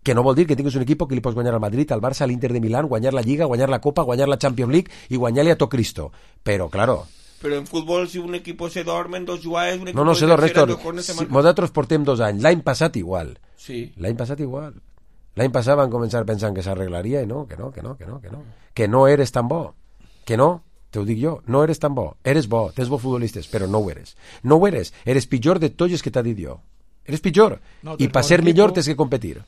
Que no vol dir que tinguis un equip que li pots guanyar al Madrid, al Barça, a l'Inter de Milán, guanyar la Lliga, guanyar la Copa, guanyar la Champions League i guanyar-li a tot Cristo. Però, claro... Però en futbol, si un equip se dorm en 2 jugades... No se dorm, Néstor. Nosaltres portem 2 anys. L'any passat igual. Sí. L'any passat igual. L'any passat van començar pensant que s'arreglaria i no, que no. Que no eres tan bo. Que no, te ho dic jo, no eres tan bo. Eres bo, tens bons futbolistes, però no ho eres. No ho eres. Eres pitjor de tots els que t'ha dit jo. Eres pitjor. I per ser millor tens que competir.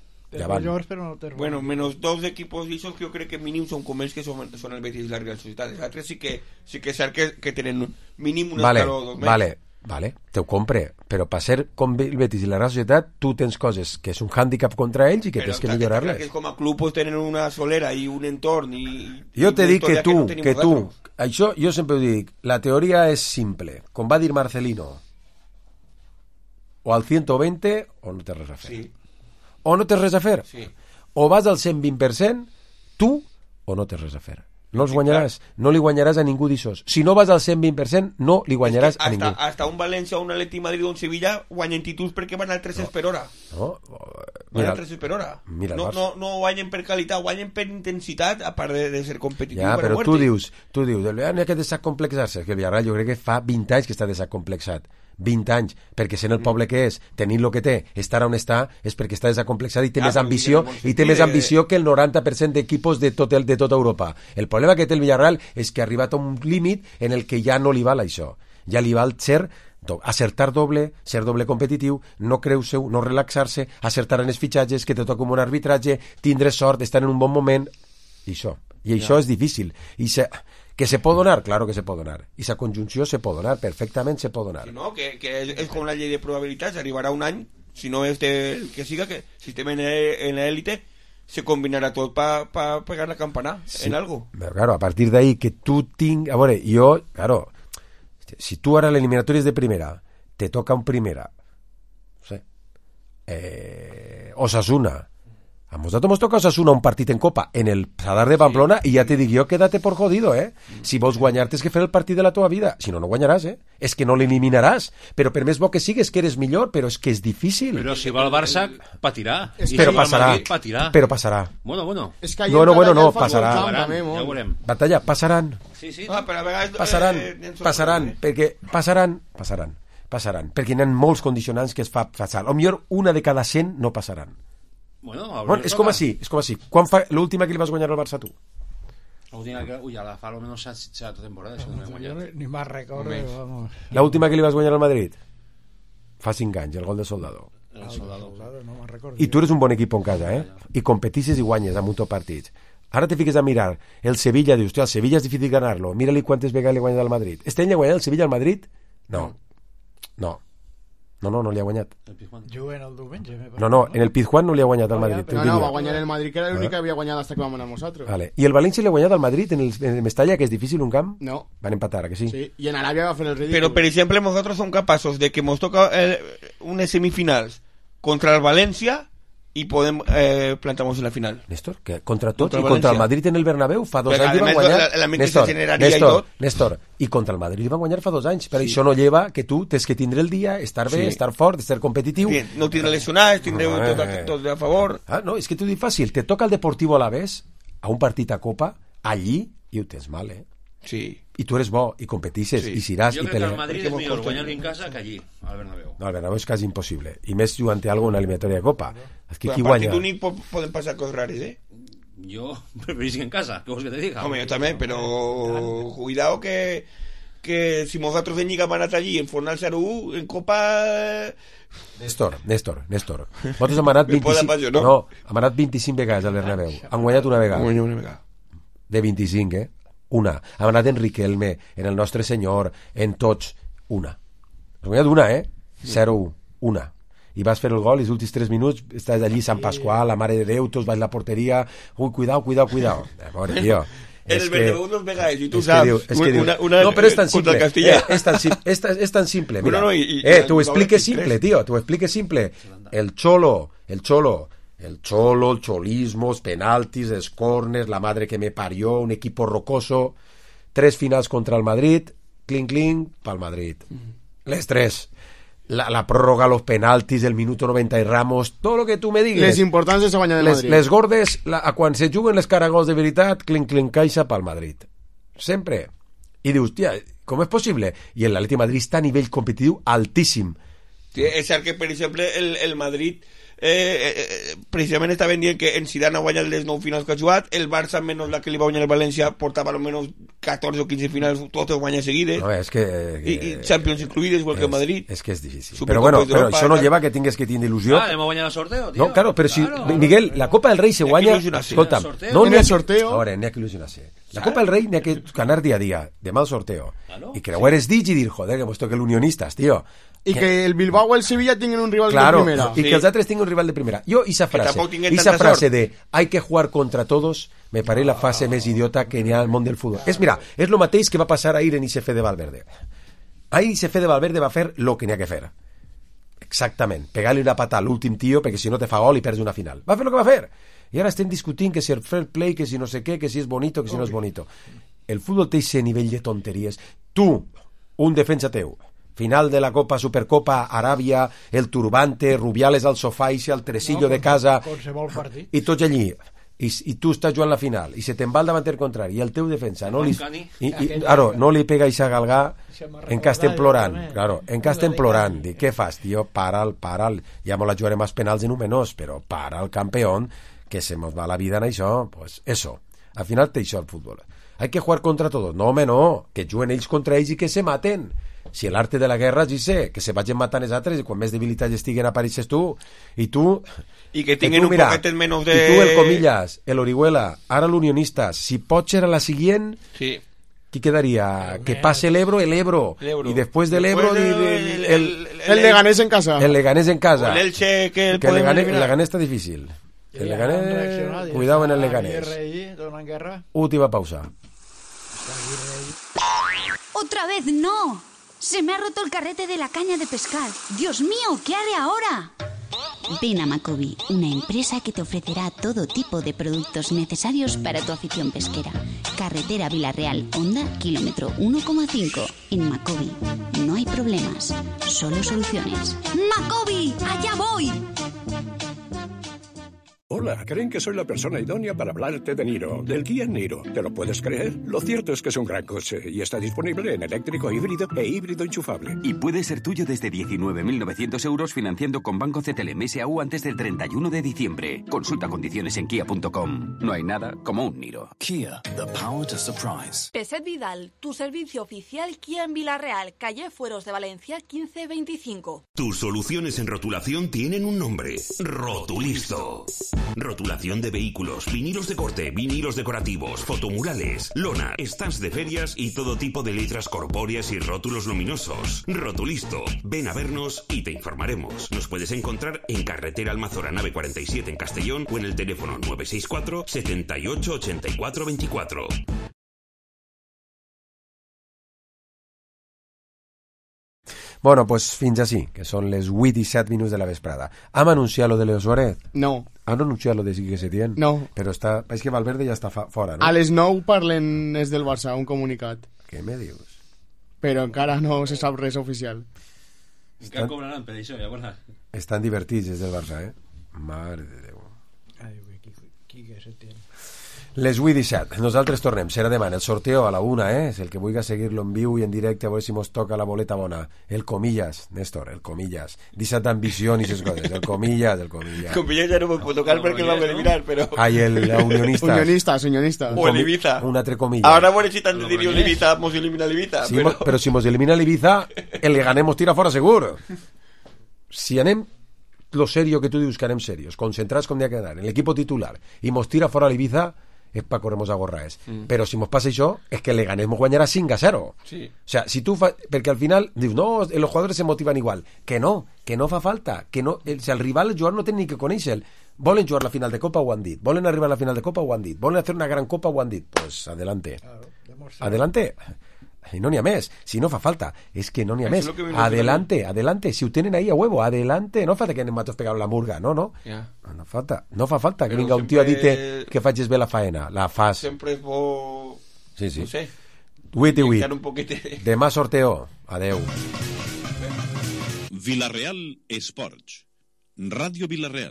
Bueno, menos 2 equipos d'ixos que jo crec que mínim són com ells, que són el Betis i la Real Societat. Els altres sí que és cert que tenen mínim un escaló 2 més. Vale, te ho compre, però per ser com el Betis i la Real Societat tu tens coses que és un hàndicap contra ells i que tens que millorar-les. Com a club pues, tenen una solera i un entorn jo te dic que tu això jo sempre ho dic, la teoria és simple, com va dir Marcelino, o al 120 o no té res a fer. Sí. O no tens res a fer. Sí. O vas al 120% tu o no tens res a fer. No els guanyaràs, no li guanyaràs a ningú d'ixos. Si no vas al 120%, no li guanyaràs a ningú. Hasta un València, un Atleti Madrid o un Sevilla guanyen títols perquè van al 3 per hora. Van al 3 per hora. No guanyen per qualitat, guanyen per intensitat, a part de ser competitiu. Ja, però tu dius, el Villarreal n'hi ha que desacomplexar-se, que el Villarreal jo crec que fa 20 anys que està desacomplexat. 20 anys, perquè sent el poble que és, tenint el que té, estar on està, és perquè està desacomplexat i té més ambició, que el 90% d'equipos de tota Europa. El problema que té el Villarreal és que ha arribat a un límit en el que ja no li val això. Ja li val acertar doble, ser doble competitiu, no creure-ho, no relaxar-se, acertar en els fitxatges, que te toca un bon arbitratge, tindre sort, estar en un bon moment, i això és difícil. Que se pot donar? Claro que se pot donar. I la conjunció se pot donar, perfectament se pot donar. Sí, no, que és com la llei de probabilitats, arribarà un any, si no és el que siga, que si estem en l'élite, se combinarà tot per pegar la campana en algo. Però claro, a partir d'ahí que tu tinc... A veure, claro, si tu ara l'eliminatòria és de primera, te toca un primera, no sé, Osasuna, A nosotros nos toca Osasuna un partit en Copa en el Sadar de Pamplona i ja te dic jo, quédate por jodido, Si vols guanyar tens que fer el partit de la teva vida. Si no, no guanyaràs, És que no l'eliminaràs. Però per més bo que sigues, que eres millor, però és que és difícil. Però si va al Barça, patirà. Però passarà. Però passarà. Bueno. No, passarà. Ja ho veurem. Batalla, passaran. Sí. Però a vegades... Passaran, perquè perquè hi ha molts condicionants que es fa fatal. O millor, una de cada 100 no passaran. Bueno, és com així. Quan fa l'última que li vas guanyar al Barça tu? L'última que... Ui, la fa almenys 7 temporades. Ni más recordo, vamos. L'última que li vas guanyar al Madrid? Fa 5 anys, el gol de Soldado. El Soldado, no me'n recordo. I tu eres un bon equip en casa, I competisses i guanyes amb un top partits. Ara te fiques a mirar el Sevilla, dius, el Sevilla és difícil ganar-lo, mira-li quantes vegades li ha guanyat al Madrid. Este any ha guanyat el Sevilla al Madrid? No li ha guanyat. Juguen el diumenge. No, en el Pizjuán no li ha guanyat al Madrid. No, va guanyar el Madrid, que era l'únic que havia guanyat fins que vam anar nosaltres. Vale. I el València li ha guanyat al Madrid en el Mestalla, que és difícil un camp? No. Van empatar, que sí? Sí, y en Arabia va a hacer el ridículo. Pero, por ejemplo, nosotros somos capaces de que nos toca unas semifinals contra el Valencia y podemos plantamos en la final. Néstor, que contra tots i contra el Madrid en el Bernabéu fa 2 anys van guanyar. Néstor, i contra el Madrid van guanyar fa 2 anys, però això no lleva que tu tens que tindre el dia, estar bé, estar fort, ser competitiu. No tindre lesionats, tindre tot a favor. No, és que t'ho dic fàcil, te toca el Deportivo Alavés a un partit a Copa, allí, i ho tens mal, Sí. I tu eres bo, i competisses, i siràs, i pelees. Jo crec que al Madrid és millor guanyar-li en casa que allí, al Bernabéu. No, al Bernabéu és quasi impossible. I més jugant alguna una eliminatòria de Copa. És que però qui guanya? A partit únic poden passar coses rares, Jo preferís que en casa, què vols que te diga? Home, jo també, però cuidado que si nosaltres en Lliga hem anat allí en Fornal 0-1, en Copa... Néstor. Nosaltres hem anat 25... No, hem anat 25 vegades al Bernabéu. Han guanyat una vegada. De 25, Una. Hem anat en Riquelme, en el Nostre Senyor, en tots. Una. Has guanyat una, 0-1. Una. I vas fer el gol i els últims 3 minuts estàs allí Sant Pasqual, la Mare de Déu, tots vas a la porteria. Ui, cuidao. Pobre, tio. En el Bernabéu unos vegades, i tu saps. No, però és tan simple. És tan simple. Mira, t'ho explique simple, tio. T'ho explique simple. El Cholo, el cholismo, els penaltis, els corners, la madre que me parió, un equipo rocoso, 3 finals contra el Madrid, clink, pa'l Madrid. Les 3. La pròrroga, los penaltis, el minuto 90 i Ramos, tot lo que tu me digues. Les importàncies a guanyar del Madrid. Les gordes, quan se juguen les caragols de veritat, clink, caixa pa'l Madrid. Sempre. I dius, tia, com és possible? I l'Atleti de Madrid està a nivell competitiu altíssim. Sí, és cert que, per exemple, el Madrid precisament estaven dient que en Zidane ha guanyat les 9 finals que ha jugat, el Barça menys la que li va guanyar el València portava almenys 14 o 15 finals totes guanyes seguides, i Champions incluïdes, igual que el Madrid. És que és difícil, però bueno, això no lleva que tingues que tindre il·lusió. Anem a guanyar el sorteo, tio. No, claro, però si, Miguel, la Copa del Rei se guanya, escolta'm, no en el sorteo, ahora n'hi ha que il·lusionar-se. La Copa del Rei n'hi ha que ganar día a día, demà el sorteo, i creuar es dig i dir, joder, que hemos toque el unionistas, tío. Y que el Bilbao o el Sevilla tengan un rival de primera. Y que los otros tengan un rival de primera. Yo, esa frase de hay que jugar contra todos, me parece la frase más idiota que n'hi ha al món del fútbol. És lo mateix que va passar ahir en ICF de Valverde. Ahir ICF de Valverde va fer lo que n'hi ha que fer. Exactament. Pegar-li una pata a l'últim tio perquè si no te fa gol i perds una final. Va fer lo que va fer. I ara estem discutint que si el fair play, que si no sé què, que si és bonito, que si no és bonito. El futbol té ese nivell de tonteries. Tu, un defensa teu, final de la Copa, Supercopa, Aràbia, el turbante, Rubiales al sofà i al tresillo de casa, i tots allí, i tu estàs jugant la final, i se te'n va al davanter contrari, i el teu defensa no li pega i s'agalgar en cas estem plorant, dic, què fas, tio? Para'l, ja me la jugarem als penals en un menós, però para el campeón, que se nos va la vida en això, pues eso, al final té això el futbol. Hay que jugar contra todos. No, home, no, que juguen ells contra ells i que se maten. Si l'arte de la guerra és ese, que se vagin matant els altres i quan més debilitats estiguen apareixes tu i que tinguin un poquet menys de... I tu, el Comillas, el Orihuela, ara l'Unionistas, si Potser a la siguiente, qui quedaria? Que passe l'Ebro, i després de l'Ebro el Leganés en casa. El Leganés en casa. O l'Elche que el Leganés està difícil. El Leganés, cuidado en el Leganés. Uti va a pausar. ¡Otra vez no! Se me ha roto el carrete de la caña de pescar. ¡Dios mío! ¿Qué haré ahora? Ven a Macobi, una empresa que te ofrecerá todo tipo de productos necesarios para tu afición pesquera. Carretera Villarreal, Honda, kilómetro 1,5. En Macobi no hay problemas, solo soluciones. ¡Macobi! ¡Allá voy! Hola, creen que soy la persona idónea para hablarte de Niro, del Kia Niro. ¿Te lo puedes creer? Lo cierto es que es un gran coche y está disponible en eléctrico, híbrido e híbrido enchufable. Y puede ser tuyo desde 19.900 euros financiando con Banco CTLM S.A.U. antes del 31 de diciembre. Consulta condiciones en kia.com. No hay nada como un Niro. Kia, the power to surprise. Peset Vidal, tu servicio oficial Kia en Villarreal, calle Fueros de Valencia 1525. Tus soluciones en rotulación tienen un nombre: Rotulisto. Rotulación de vehículos, vinilos de corte, vinilos decorativos, fotomurales, lona, stands de ferias y todo tipo de letras corpóreas y rótulos luminosos. Rotulisto. Ven a vernos y te informaremos. Nos puedes encontrar en carretera Almazora nave 47 en Castellón o en el teléfono 964 78 84 24. Bueno, pues fins així, que són les 8 i 7 minuts de la vesprada. Hem anunciat lo de Leo Suárez? No. Han anunciat lo de Quique Setién? No. Però està... És que Valverde ja està fora, no? A les 9 parlen des del Barça, un comunicat. Què me dius? Però encara no se sap res oficial. Encara cobraran per això, llavors. Estan divertits des del Barça, eh? Mare de Déu. Ai, Quique Setién. Les 8 i 17. Nosaltres tornem. Serà demà el sorteo a la 1, És el que vulgui seguir-lo en viu i en directe, a veure si mos toca la boleta bona. El comillas, Néstor, el comillas. Deixa't d'ambició i aquestes coses. El comillas, el comillas. Comillas ja no me puc tocar perquè el vam eliminar, però... Ai, el unionistas. Unionistas. O el Ibiza. Un altre comillas. Ahora bueno, si tant diria el Ibiza, mos elimina el Ibiza. Sí, però si mos elimina el Ibiza, el Leganés mos tira fora segur. Si anem lo serio que tu dius que anem serios, concentrats com ha que anar, en l'equip titular, i mos tira fora l'Ibiza, és pa corremos a gorraes. Però si mos passa això, és que el Leganés mos guanyarà 5-0. Sí. O sea, si tu perquè al final dius, no, los jugadores se motivan igual. Que no fa falta. Que no, si el rival, el jugador no té ni que conèixer. Volen jugar la final de Copa, ho han dit. Volen arribar a la final de Copa, ho han dit. Volen hacer una gran Copa, ho han dit. Pues adelante. Adelante. I no n'hi ha més. Si no fa falta, és que no n'hi ha més. Adelante. Si ho tenen ahí a huevo, adelante. No falta que anem matos pegar la murga, no. Yeah. No fa falta que vinga un tio a dir que facis bé la faena. La fas. Sempre és bo... Sí. No sé. 8 i 8. Demà sorteo. Adeu. Villarreal Esports. Ràdio Villarreal.